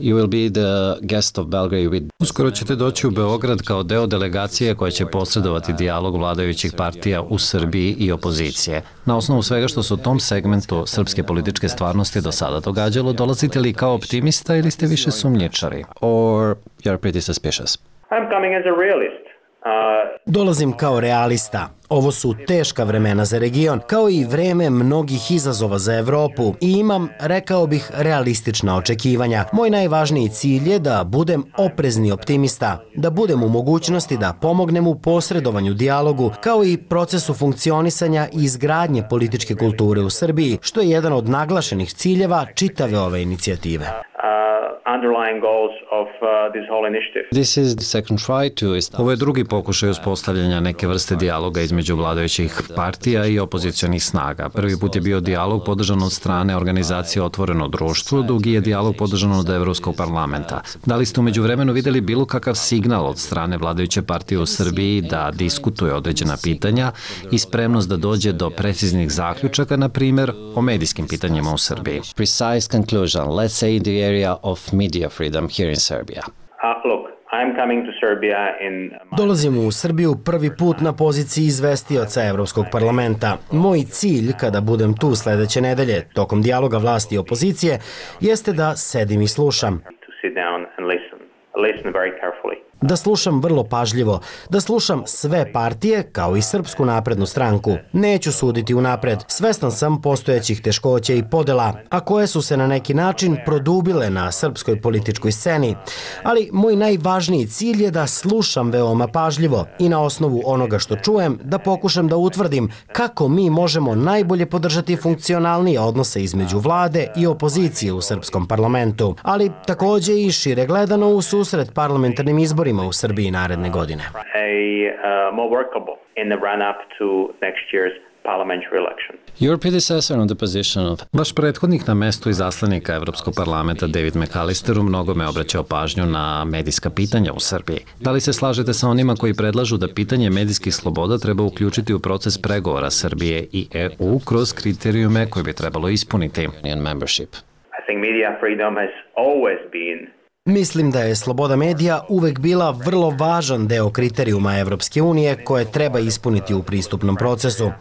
You will be the guest of Belgrade with... Uskoro ćete doći u Beograd kao deo delegacije koja će posredovati dijalog vladajućih partija u Srbiji i opozicije. Na osnovu svega što se u tom segmentu srpske političke stvarnosti do sada događalo, dolazite li kao optimista ili ste više sumnjičari? Or you're pretty suspicious? I'm coming as a realist. Dolazim kao realista. Ovo su teška vremena za region, kao i vreme mnogih izazova za Evropu i imam, rekao bih, realistična očekivanja. Moj najvažniji cilj je da budem oprezni optimista, da budem u mogućnosti da pomognem u posredovanju dijalogu, kao i procesu funkcionisanja i izgradnje političke kulture u Srbiji, što je jedan od naglašenih ciljeva čitave ove inicijative. Ovo je drugi pokušaj uspostavljanja neke vrste dijaloga između vladajućih partija i opozicionih snaga. Prvi put je bio dijalog podržan od strane organizacije Otvoreno društvo, drugi je dijalog podržan od Evropskog parlamenta. Da li ste umeđu vremenu videli bilo kakav signal od strane vladajuće partije u Srbiji da diskutuje određena pitanja i spremnost da dođe do preciznih zaključaka, na primjer, o medijskim pitanjima u Srbiji? Precise conclusion, let's say in the area of media freedom here in Serbia. Uh, look, I'm coming to Serbia in... Dolazim u Srbiju prvi put na poziciji izvestioca Evropskog parlamenta. Moj cilj, kada budem tu sledeće nedelje, tokom dijaloga vlasti i opozicije, jeste da sedim i slušam. To sit down and listen. Listen very carefully. Da slušam vrlo pažljivo, da slušam sve partije kao i Srpsku naprednu stranku. Neću suditi unapred, svestan sam postojećih teškoća i podela, a koje su se na neki način produbile na srpskoj političkoj sceni. Ali moj najvažniji cilj je da slušam veoma pažljivo i na osnovu onoga što čujem da pokušam da utvrdim kako mi možemo najbolje podržati funkcionalnije odnose između vlade i opozicije u srpskom parlamentu, ali takođe i šire gledano u susret parlamentarnim izborima izborima u Srbiji naredne godine. A, uh, more workable in the run-up to next year's parliamentary election. Your predecessor on the position of... Vaš prethodnik na mestu izaslanika Evropskog parlamenta David McAllister u mnogome obraćao pažnju na medijska pitanja u Srbiji. Da li se slažete sa onima koji predlažu da pitanje medijskih sloboda treba uključiti u proces pregovora Srbije i E U kroz kriterijume koje bi trebalo ispuniti? Membership. I think media freedom has always been Mislim da je sloboda medija uvek bila vrlo važan deo kriterijuma Evropske unije koje treba ispuniti u pristupnom procesu.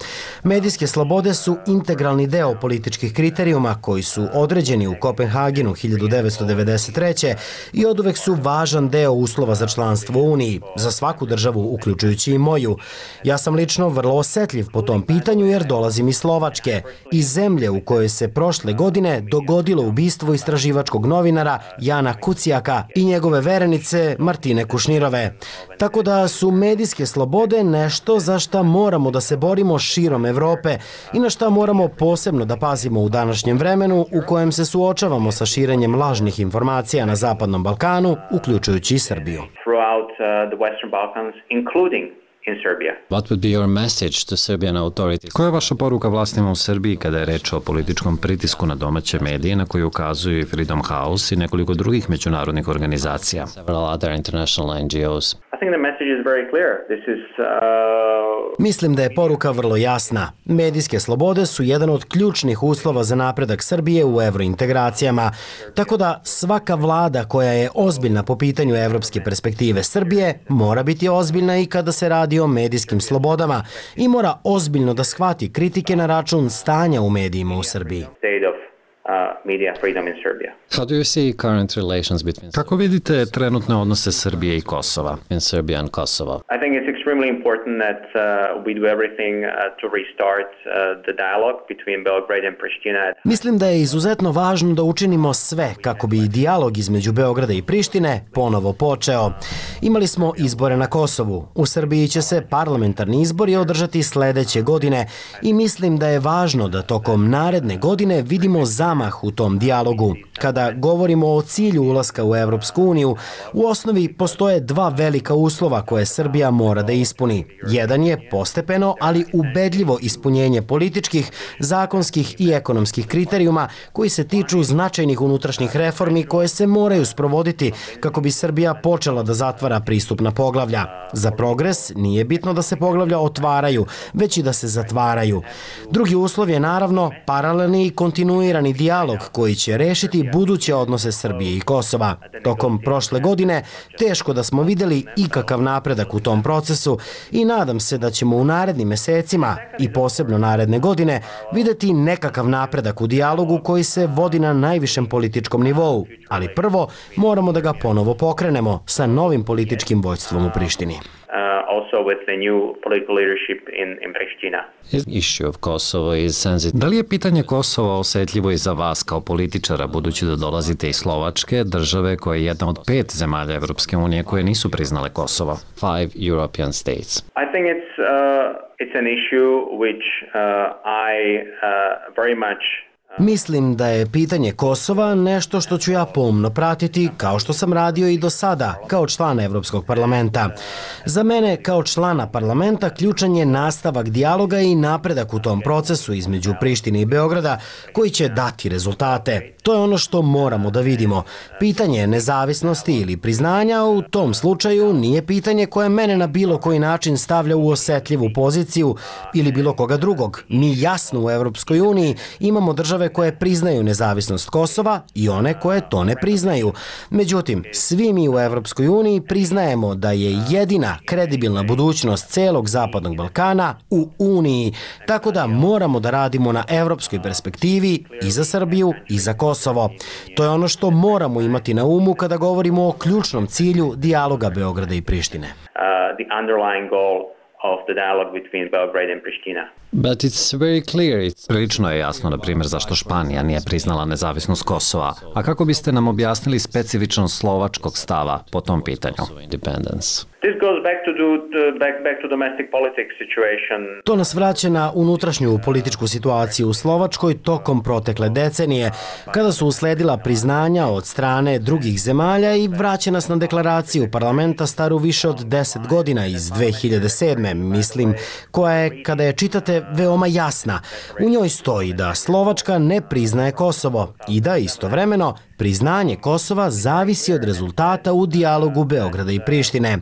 Medijske slobode su integralni deo političkih kriterijuma koji su određeni u Kopenhagenu hiljadu devetsto devedeset treće. i oduvek su važan deo uslova za članstvo u Uniji, za svaku državu, uključujući i moju. Ja sam lično vrlo osetljiv po tom pitanju jer dolazim iz Slovačke, iz zemlje u kojoj se prošle godine dogodilo ubistvo istraživačkog novinara Jana Kucijaka i njegove verenice Martine Kušnirove. Tako da su medijske slobode nešto za šta moramo da se borimo širom Evrope i na šta moramo posebno da pazimo u današnjem vremenu u kojem se suočavamo sa širenjem lažnih informacija na Zapadnom Balkanu, uključujući i Srbiju. Throughout uh, the Western Balkans, including in Serbia. What would be your message to Serbian authorities? Koja je vaša poruka vlastima u Srbiji kada je reč o političkom pritisku na domaće medije na koji ukazuju i Freedom House i nekoliko drugih međunarodnih organizacija? Several other international N G Os. I think the message is very clear. This is uh... Mislim da je poruka vrlo jasna. Medijske slobode su jedan od ključnih uslova za napredak Srbije u evrointegracijama. Tako da svaka vlada koja je ozbiljna po pitanju evropske perspektive Srbije mora biti ozbiljna i kada se radi o medijskim slobodama i mora ozbiljno da shvati kritike na račun stanja u medijima u Srbiji. Kako vidite trenutne odnose Srbije i Kosova? In Serbia and Kosovo. I think it's extremely important that uh, we do everything uh, to restart uh, the dialogue between Belgrade and Pristina. Mislim da je izuzetno važno da učinimo sve kako bi dijalog između Beograda i Prištine ponovo počeo. Imali smo izbore na Kosovu. U Srbiji će se parlamentarni izbori održati sledeće godine i mislim da je važno da tokom naredne godine vidimo zamah u tom dijalogu. Kada govorimo o cilju ulaska u Evropsku uniju, u osnovi postoje dva velika uslova koje Srbija mora da ispuni. Jedan je postepeno, ali ubedljivo ispunjenje političkih, zakonskih i ekonomskih kriterijuma koji se tiču značajnih unutrašnjih reformi koje se moraju sprovoditi kako bi Srbija počela da zatvara pristupna poglavlja. Za progres nije bitno da se poglavlja otvaraju, već i da se zatvaraju. Drugi uslov je naravno paralelni i kontinuirani dijalog koji će rešiti buduće odnose Srbije i Kosova. Tokom prošle godine teško da smo videli ikakav napredak u tom procesu i nadam se da ćemo u narednim mesecima i posebno naredne godine videti nekakav napredak u dijalogu koji se vodi na najvišem političkom nivou. Ali prvo moramo da ga ponovo pokrenemo sa novim političkim vođstvom u Prištini. Da li je pitanje Kosova osetljivo i za vas kao političara, budući da dolazite iz Slovačke, države koja je jedna od pet zemalja Evropske unije koje nisu priznale Kosovo? Five European states. I think it's uh, it's an issue which uh, I uh, very much Mislim da je pitanje Kosova nešto što ću ja pomno pratiti, kao što sam radio i do sada, kao član Evropskog parlamenta. Za mene, kao člana parlamenta, ključan je nastavak dijaloga i napredak u tom procesu između Prištine i Beograda, koji će dati rezultate. To je ono što moramo da vidimo. Pitanje nezavisnosti ili priznanja u tom slučaju nije pitanje koje mene na bilo koji način stavlja u osetljivu poziciju ili bilo koga drugog. Mi jasno u Evropskoj uniji imamo države koje priznaju nezavisnost Kosova i one koje to ne priznaju. Međutim, svi mi u Evropskoj uniji priznajemo da je jedina kredibilna budućnost celog Zapadnog Balkana u Uniji, tako da moramo da radimo na evropskoj perspektivi i za Srbiju i za Kosovo. To je ono što moramo imati na umu kada govorimo o ključnom cilju dijaloga Beograda i Prištine. Uh, the underlying goal of the dialogue between Belgrade and Pristina. But it's very clear. It's... Prilično je jasno, na primjer, zašto Španija nije priznala nezavisnost Kosova. A kako biste nam objasnili specifičnost slovačkog stava po tom pitanju? Independence. This goes back to, do, back, back to domestic politics situation. To nas vraća na unutrašnju političku situaciju u Slovačkoj tokom protekle decenije, kada su usledila priznanja od strane drugih zemalja i vraća nas na deklaraciju parlamenta staru više od deset godina iz dve hiljade sedme, mislim, koja je, kada je čitate, veoma jasna. U njoj stoji da Slovačka ne priznaje Kosovo i da istovremeno priznanje Kosova zavisi od rezultata u dijalogu Beograda i Prištine.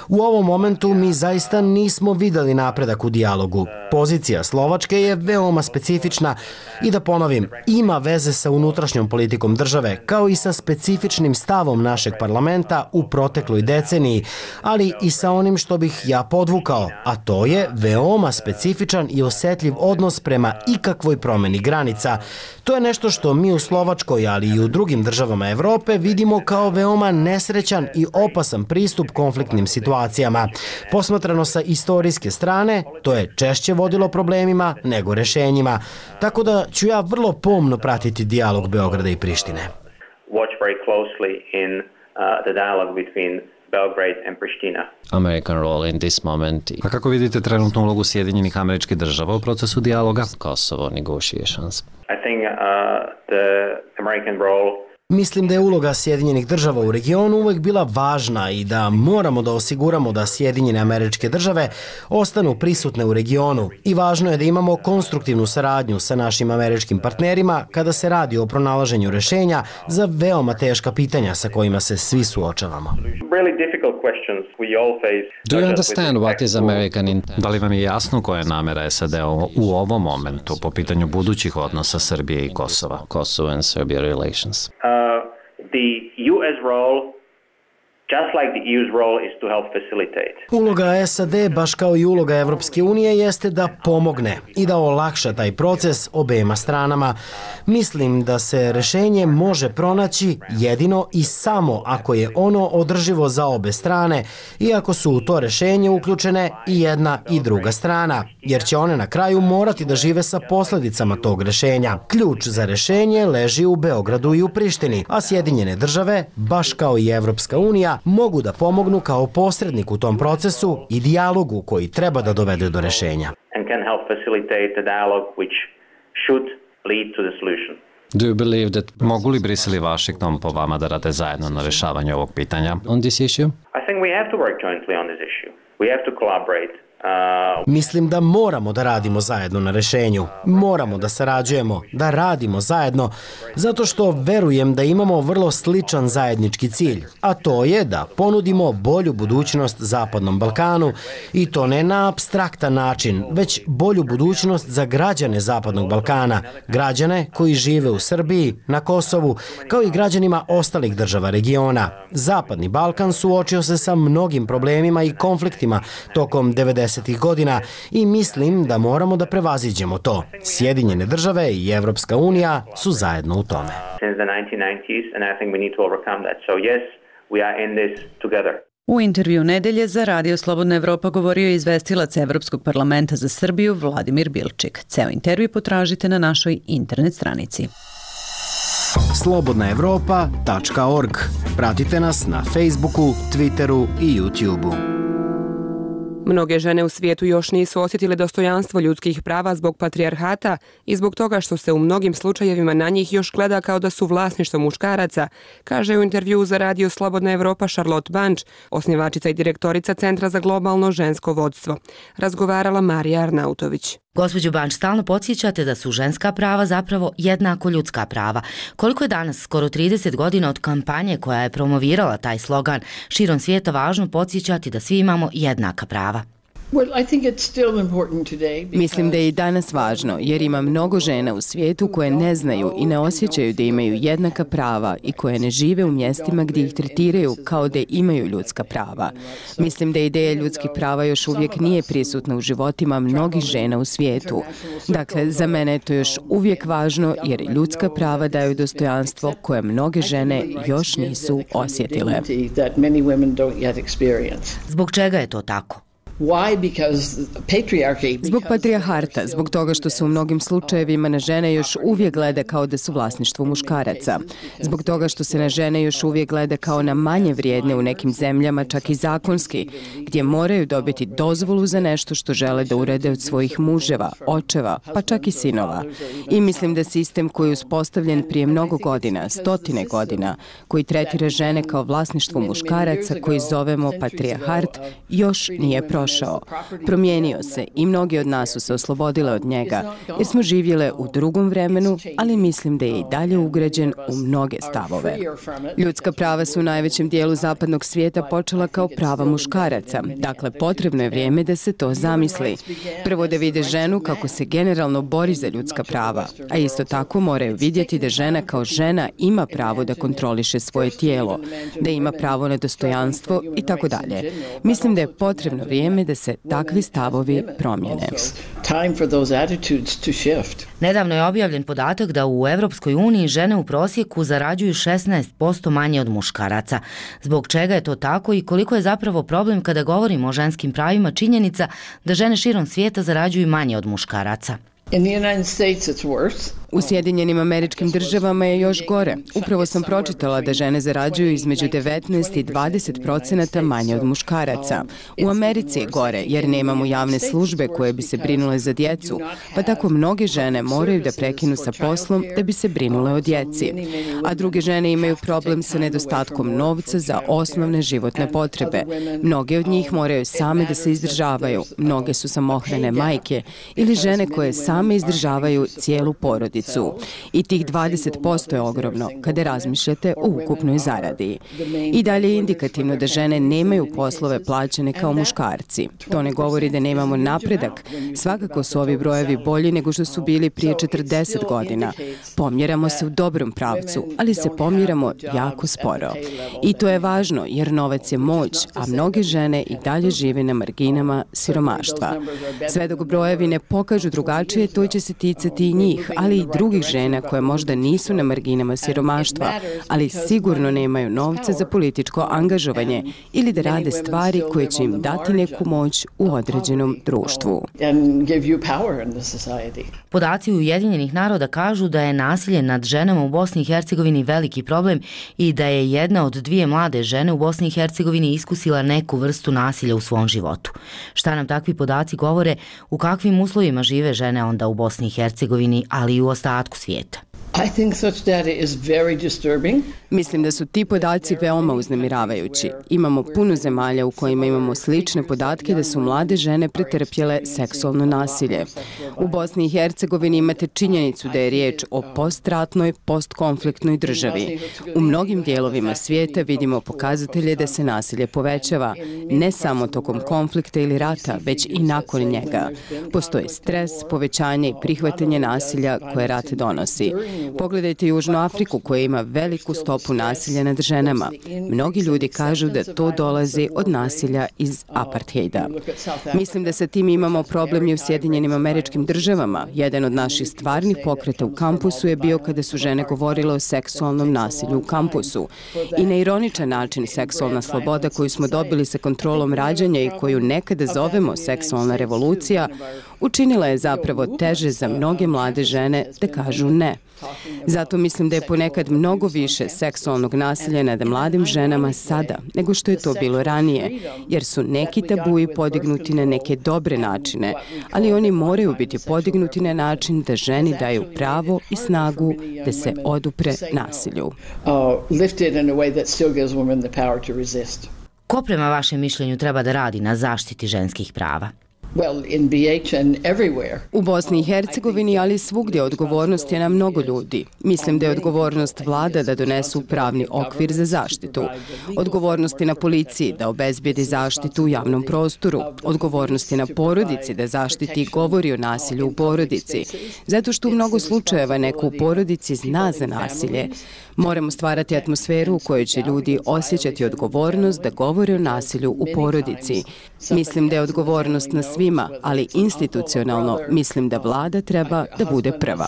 U ovom momentu mi zaista nismo videli napredak u dijalogu. Pozicija Slovačke je veoma specifična i da ponovim, ima veze sa unutrašnjom politikom države, kao i sa specifičnim stavom našeg parlamenta u protekloj deceniji, ali i sa onim što bih ja podvukao, a to je veoma specifičan i osetljiv odnos prema ikakvoj promeni granica. To je nešto što mi u Slovačkoj, ali i u drugim državama Evrope vidimo kao veoma nesrećan i opasan pristup konfliktnim situacijama. Posmatrano sa istorijske strane, to je češće vodilo problemima nego rešenjima. Tako da ću ja vrlo pomno pratiti dijalog Beograda i Prištine. Watch very closely in uh, the dialogue between Belgrade and Pristina. American role in this moment. A kako vidite trenutnu ulogu Sjedinjenih Američkih Država u procesu dijaloga? Kosovo negotiations. I think uh, the American role Mislim da je uloga Sjedinjenih Država u regionu uvek bila važna i da moramo da osiguramo da Sjedinjene Američke Države ostanu prisutne u regionu i važno je da imamo konstruktivnu saradnju sa našim američkim partnerima kada se radi o pronalaženju rešenja za veoma teška pitanja sa kojima se svi suočavamo. Do you understand what is American intent? Da li vam je jasno koja je namera S A D u ovom momentu po pitanju budućih odnosa Srbije i Kosova? Kosovo and Serbia relations. The U S role, just like the E U's role, is to help facilitate. Uloga S A D, baš kao i uloga Evropske unije, jeste da pomogne i da olakša taj proces obema stranama. Mislim da se rešenje može pronaći jedino i samo ako je ono održivo za obe strane i ako su u to rešenje uključene i jedna i druga strana, jer će one na kraju morati da žive sa posledicama tog rešenja. Ključ za rešenje leži u Beogradu i u Prištini, a Sjedinjene Države, baš kao i Evropska unija, mogu da pomognu kao posrednik u tom procesu i dijalogu koji treba da dovede do rešenja. And can help facilitate the dialogue which should lead to the solution. Do you believe that mogu li Brisel i Washington po vama da rade zajedno na rešavanju ovog pitanja on this issue? I think we have to work jointly on this issue. We have to collaborate. Uh, Mislim da moramo da radimo zajedno na rešenju. Moramo da sarađujemo, da radimo zajedno, zato što verujem da imamo vrlo sličan zajednički cilj, a to je da ponudimo bolju budućnost Zapadnom Balkanu i to ne na apstraktan način, već bolju budućnost za građane Zapadnog Balkana, građane koji žive u Srbiji, na Kosovu, kao i građanima ostalih država regiona. Zapadni Balkan suočio se sa mnogim problemima i konfliktima tokom devedesetih godina i mislim da moramo da prevaziđemo to. Sjedinjene Države i Evropska unija su zajedno u tome. U intervju nedelje za Radio Slobodna Evropa govorio je izvestilac Evropskog parlamenta za Srbiju Vladimir Bilčik. Ceo intervju potražite na našoj internet stranici. slobodna evropa tačka org. Pratite nas na Facebooku, Twitteru i YouTubeu. Mnoge žene u svijetu još nisu osjetile dostojanstvo ljudskih prava zbog patrijarhata i zbog toga što se u mnogim slučajevima na njih još gleda kao da su vlasništvo muškaraca, kaže u intervjuu za Radio Slobodna Evropa Charlotte Bunch, osnivačica i direktorica Centra za globalno žensko vodstvo. Razgovarala Marija Arnautović. Gospođo Banč, stalno podsjećate da su ženska prava zapravo jednako ljudska prava. Koliko je danas, skoro trideset godina od kampanje koja je promovirala taj slogan, širom svijeta važno podsjećati da svi imamo jednaka prava? Mislim da je i danas važno, jer ima mnogo žena u svijetu koje ne znaju i ne osjećaju da imaju jednaka prava i koje ne žive u mjestima gdje ih tretiraju kao da imaju ljudska prava. Mislim da ideja ljudskih prava još uvijek nije prisutna u životima mnogih žena u svijetu. Dakle, za mene je to još uvijek važno jer ljudska prava daju dostojanstvo koje mnoge žene još nisu osjetile. Zbog čega je to tako? Zbog patrijarhata, zbog toga što se u mnogim slučajevima na žene još uvijek gleda kao da su vlasništvo muškaraca. Zbog toga što se na žene još uvijek gleda kao na manje vrijedne u nekim zemljama, čak i zakonski, gdje moraju dobiti dozvolu za nešto što žele da urede od svojih muževa, očeva, pa čak i sinova. I mislim da sistem koji je uspostavljen prije mnogo godina, stotine godina, koji tretira žene kao vlasništvo muškaraca, koji zovemo patrijarhat, još nije prošao. Promijenio se i mnogi od nas su se oslobodile od njega, jer smo živjele u drugom vremenu, ali mislim da je i dalje ugrađen u mnoge stavove. Ljudska prava su u najvećem dijelu zapadnog svijeta počela kao prava muškaraca, dakle potrebno je vrijeme da se to zamisli. Prvo da vide ženu kako se generalno bori za ljudska prava, a isto tako moraju vidjeti da žena kao žena ima pravo da kontroliše svoje tijelo, da ima pravo na dostojanstvo i tako dalje. Mislim da je potrebno vrijeme da se takvi stavovi promijene. Nedavno je objavljen podatak da u Evropskoj uniji žene u prosjeku zarađuju šesnaest posto manje od muškaraca. Zbog čega je to tako i koliko je zapravo problem kada govorimo o ženskim pravima činjenica da žene širom svijeta zarađuju manje od muškaraca? U Sjedinjenim Američkim Državama je još gore. Upravo sam pročitala da žene zarađuju između devetnaest i dvadeset procenata manje od muškaraca. U Americi je gore jer nemamo javne službe koje bi se brinule za djecu, pa tako mnoge žene moraju da prekinu sa poslom da bi se brinule o djeci. A druge žene imaju problem sa nedostatkom novca za osnovne životne potrebe. Mnoge od njih moraju same da se izdržavaju. Mnoge su samohrane majke ili žene koje same izdržavaju cijelu porodicu. I tih dvadeset posto je ogromno kada razmišljate o ukupnoj zaradi. I dalje je indikativno da žene nemaju poslove plaćene kao muškarci. To ne govori da nemamo napredak. Svakako su ovi brojevi bolji nego što su bili prije četrdeset godina. Pomjeramo se u dobrom pravcu, ali se pomjeramo jako sporo. I to je važno jer novac je moć, a mnoge žene i dalje žive na marginama siromaštva. Sve dok brojevi ne pokažu drugačije, to će se ticati i njih, ali i drugih žena koje možda nisu na marginama siromaštva, ali sigurno nemaju novca za političko angažovanje ili da rade stvari koje će im dati neku moć u određenom društvu. Podaci Ujedinjenih naroda kažu da je nasilje nad ženama u Bosni i Hercegovini veliki problem i da je jedna od dvije mlade žene u Bosni i Hercegovini iskusila neku vrstu nasilja u svom životu. Šta nam takvi podaci govore, u kakvim uslovima žive žene onda u Bosni i Hercegovini, ali i u ostatku svijeta? Mislim da su ti podaci veoma uznemiravajući. Imamo puno zemalja u kojima imamo slične podatke da su mlade žene pretrpjele seksualno nasilje. U Bosni i Hercegovini imate činjenicu da je riječ o postratnoj, postkonfliktnoj državi. U mnogim dijelovima svijeta vidimo pokazatelje da se nasilje povećava, ne samo tokom konflikta ili rata, već i nakon njega. Postoji stres, povećanje i prihvatanje nasilja koje rat donosi. Pogledajte Južnu Afriku koja ima veliku stopu nasilja nad ženama. Mnogi ljudi kažu da to dolazi od nasilja iz apartheida. Mislim da sa tim imamo problem i u Sjedinjenim Američkim Državama. Jedan od naših stvarnih pokreta u kampusu je bio kada su žene govorile o seksualnom nasilju u kampusu. I na ironičan način seksualna sloboda koju smo dobili sa kontrolom rađanja i koju nekada zovemo seksualna revolucija, učinila je zapravo teže za mnoge mlade žene da kažu ne. Zato mislim da je ponekad mnogo više seksualnog nasilja nad mladim ženama sada nego što je to bilo ranije, jer su neki tabuji podignuti na neke dobre načine, ali oni moraju biti podignuti na način da ženi daju pravo i snagu da se odupre nasilju. Ko prema vašem mišljenju treba da radi na zaštiti ženskih prava? U Bosni i Hercegovini, ali svugdje odgovornost je na mnogo ljudi. Mislim da je odgovornost vlada da donesu pravni okvir za zaštitu. Odgovornost je na policiji da obezbijedi zaštitu u javnom prostoru. Odgovornost je na porodici da zaštiti i govori o nasilju u porodici. Zato što u mnogo slučajeva neko u porodici zna za nasilje. Moramo stvarati atmosferu u kojoj će ljudi osjećati odgovornost da govore o nasilju u porodici. Mislim da je odgovornost na svima svima, ali institucionalno mislim da vlada treba da bude prva.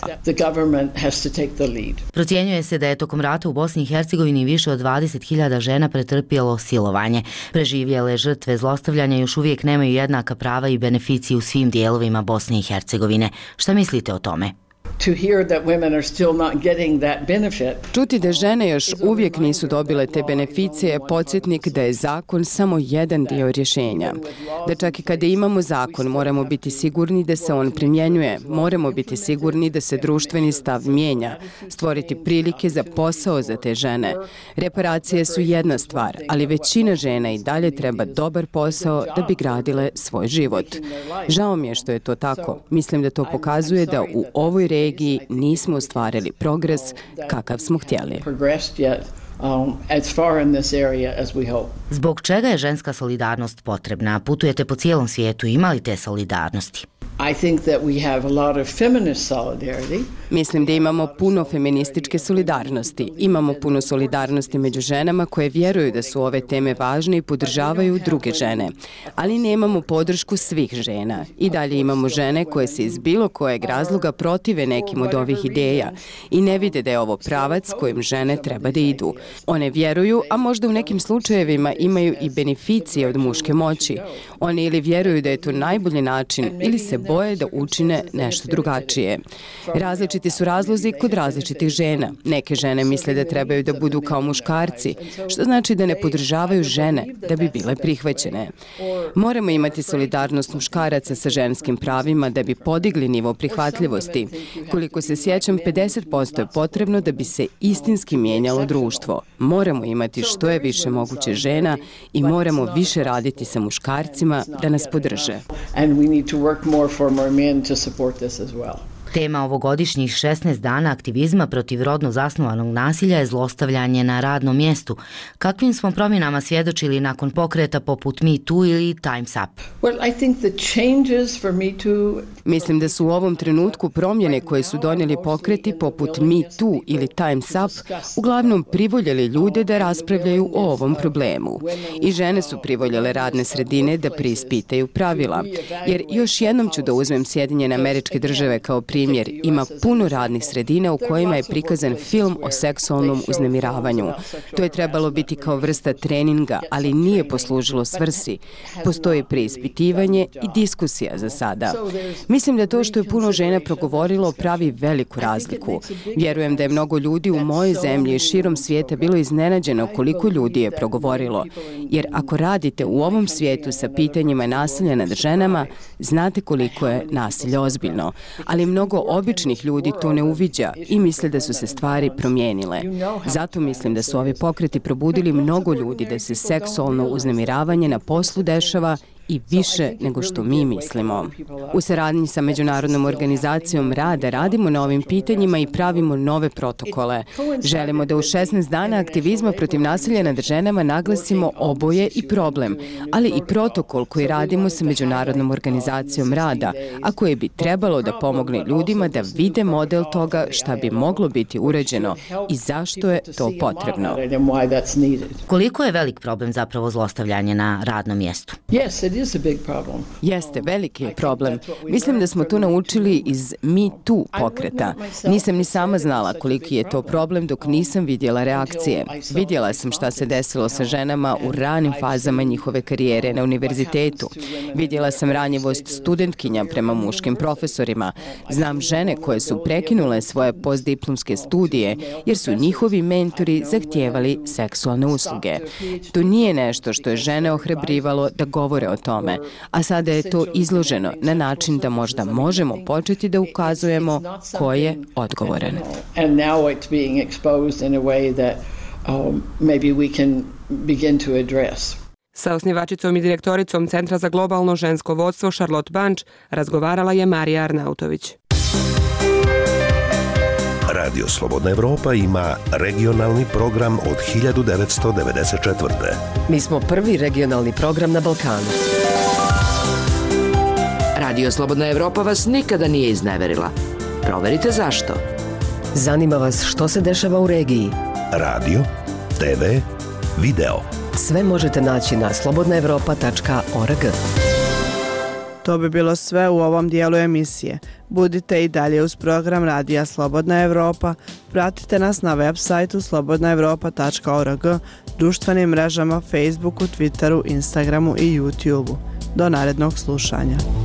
Procjenjuje se da je tokom rata u Bosni i Hercegovini više od dvadeset hiljada žena pretrpjelo silovanje. Preživjele žrtve zlostavljanja još uvijek nemaju jednaka prava i beneficije u svim dijelovima Bosne i Hercegovine. Šta mislite o tome? Čuti da žene još uvijek nisu dobile te beneficije je podsjetnik da je zakon samo jedan dio rješenja. Da čak i kada imamo zakon moramo biti sigurni da se on primjenjuje, moramo biti sigurni da se društveni stav mijenja, stvoriti prilike za posao za te žene. Reparacije su jedna stvar, ali većina žena i dalje treba dobar posao da bi gradile svoj život. Žao mi je što je to tako. Mislim da to pokazuje da u ovoj regiji nismo ostvarili progres kakav smo htjeli. Zbog čega je ženska solidarnost potrebna? Putujete po cijelom svijetu, ima li te solidarnosti? Mislim da imamo puno feminističke solidarnosti. Imamo puno solidarnosti među ženama koje vjeruju da su ove teme važne i podržavaju druge žene. Ali nemamo podršku svih žena. I dalje imamo žene koje se iz bilo kojeg razloga protive nekim od ovih ideja i ne vide da je ovo pravac kojim žene treba da idu. One vjeruju, a možda u nekim slučajevima imaju i beneficije od muške moći. One ili vjeruju da je to najbolji način ili se boje da učine nešto drugačije. Različiti su razlozi kod različitih žena. Neke žene misle da trebaju da budu kao muškarci, što znači da ne podržavaju žene da bi bile prihvaćene. Moramo imati solidarnost muškaraca sa ženskim pravima da bi podigli nivo prihvatljivosti. Koliko se sjećam, pedeset posto je potrebno da bi se istinski mijenjalo društvo. Moramo imati što je više moguće žena i moramo više raditi sa muškarcima da nas podrže. Tema ovogodišnjih šesnaest dana aktivizma protiv rodno zasnovanog nasilja je zlostavljanje na radnom mjestu. Kakvim smo promjenama svjedočili nakon pokreta poput Me Too ili Time's Up? Mislim da su u ovom trenutku promjene koje su donijeli pokreti poput Me Too ili Time's Up uglavnom privoljeli ljude da raspravljaju o ovom problemu. I žene su privoljele radne sredine da preispitaju pravila. Jer još jednom ću da uzmem Sjedinjene Američke Države kao primjer. Primjer, ima puno radnih sredina u kojima je prikazan film o seksualnom uznemiravanju. To je trebalo biti kao vrsta treninga, ali nije poslužilo svrsi. Postoji preispitivanje i diskusija za sada. Mislim da to što je puno žena progovorilo pravi veliku razliku. Vjerujem da je mnogo ljudi u mojoj zemlji i širom svijeta bilo iznenađeno koliko ljudi je progovorilo. Jer ako radite u ovom svijetu sa pitanjima nasilja nad ženama, znate koliko je nasilje ozbiljno. Ali mnogo običnih ljudi to ne uviđa i misle da su se stvari promijenile. Zato mislim da su ovi pokreti probudili mnogo ljudi da se seksualno uznemiravanje na poslu dešava i više nego što mi mislimo. U saradnji sa Međunarodnom organizacijom rada radimo na ovim pitanjima i pravimo nove protokole. Želimo da u šesnaest dana aktivizma protiv nasilja nad ženama naglasimo oboje i problem, ali i protokol koji radimo sa Međunarodnom organizacijom rada, a koji bi trebalo da pomogne ljudima da vide model toga šta bi moglo biti uređeno i zašto je to potrebno. Koliko je velik problem zapravo zlostavljanje na radnom mjestu? Jeste, veliki je problem. Mislim da smo to naučili iz Me Too pokreta. Nisam ni sama znala koliki je to problem dok nisam vidjela reakcije. Vidjela sam šta se desilo sa ženama u ranim fazama njihove karijere na univerzitetu. Vidjela sam ranjivost studentkinja prema muškim profesorima. Znam žene koje su prekinule svoje postdiplomske studije jer su njihovi mentori zahtijevali seksualne usluge. To nije nešto što je žene ohrabrivalo da govore o tome, a sada je to izloženo na način da možda možemo početi da ukazujemo ko je odgovoran. Sa osnivačicom i direktoricom Centra za globalno žensko vodstvo Charlotte Bunch razgovarala je Marija Arnautović. Radio Slobodna Evropa ima regionalni program od hiljadu devetsto devedeset četvrte. Mi smo prvi regionalni program na Balkanu. Radio Slobodna Evropa vas nikada nije izneverila. Proverite zašto. Zanima vas što se dešava u regiji. Radio, te ve, video. Sve možete naći na slobodna evropa tačka org. To bi bilo sve u ovom dijelu emisije. Budite i dalje uz program Radija Slobodna Evropa, pratite nas na web sajtu slobodna evropa tačka org, društvenim mrežama Facebooku, Twitteru, Instagramu i YouTubeu. Do narednog slušanja.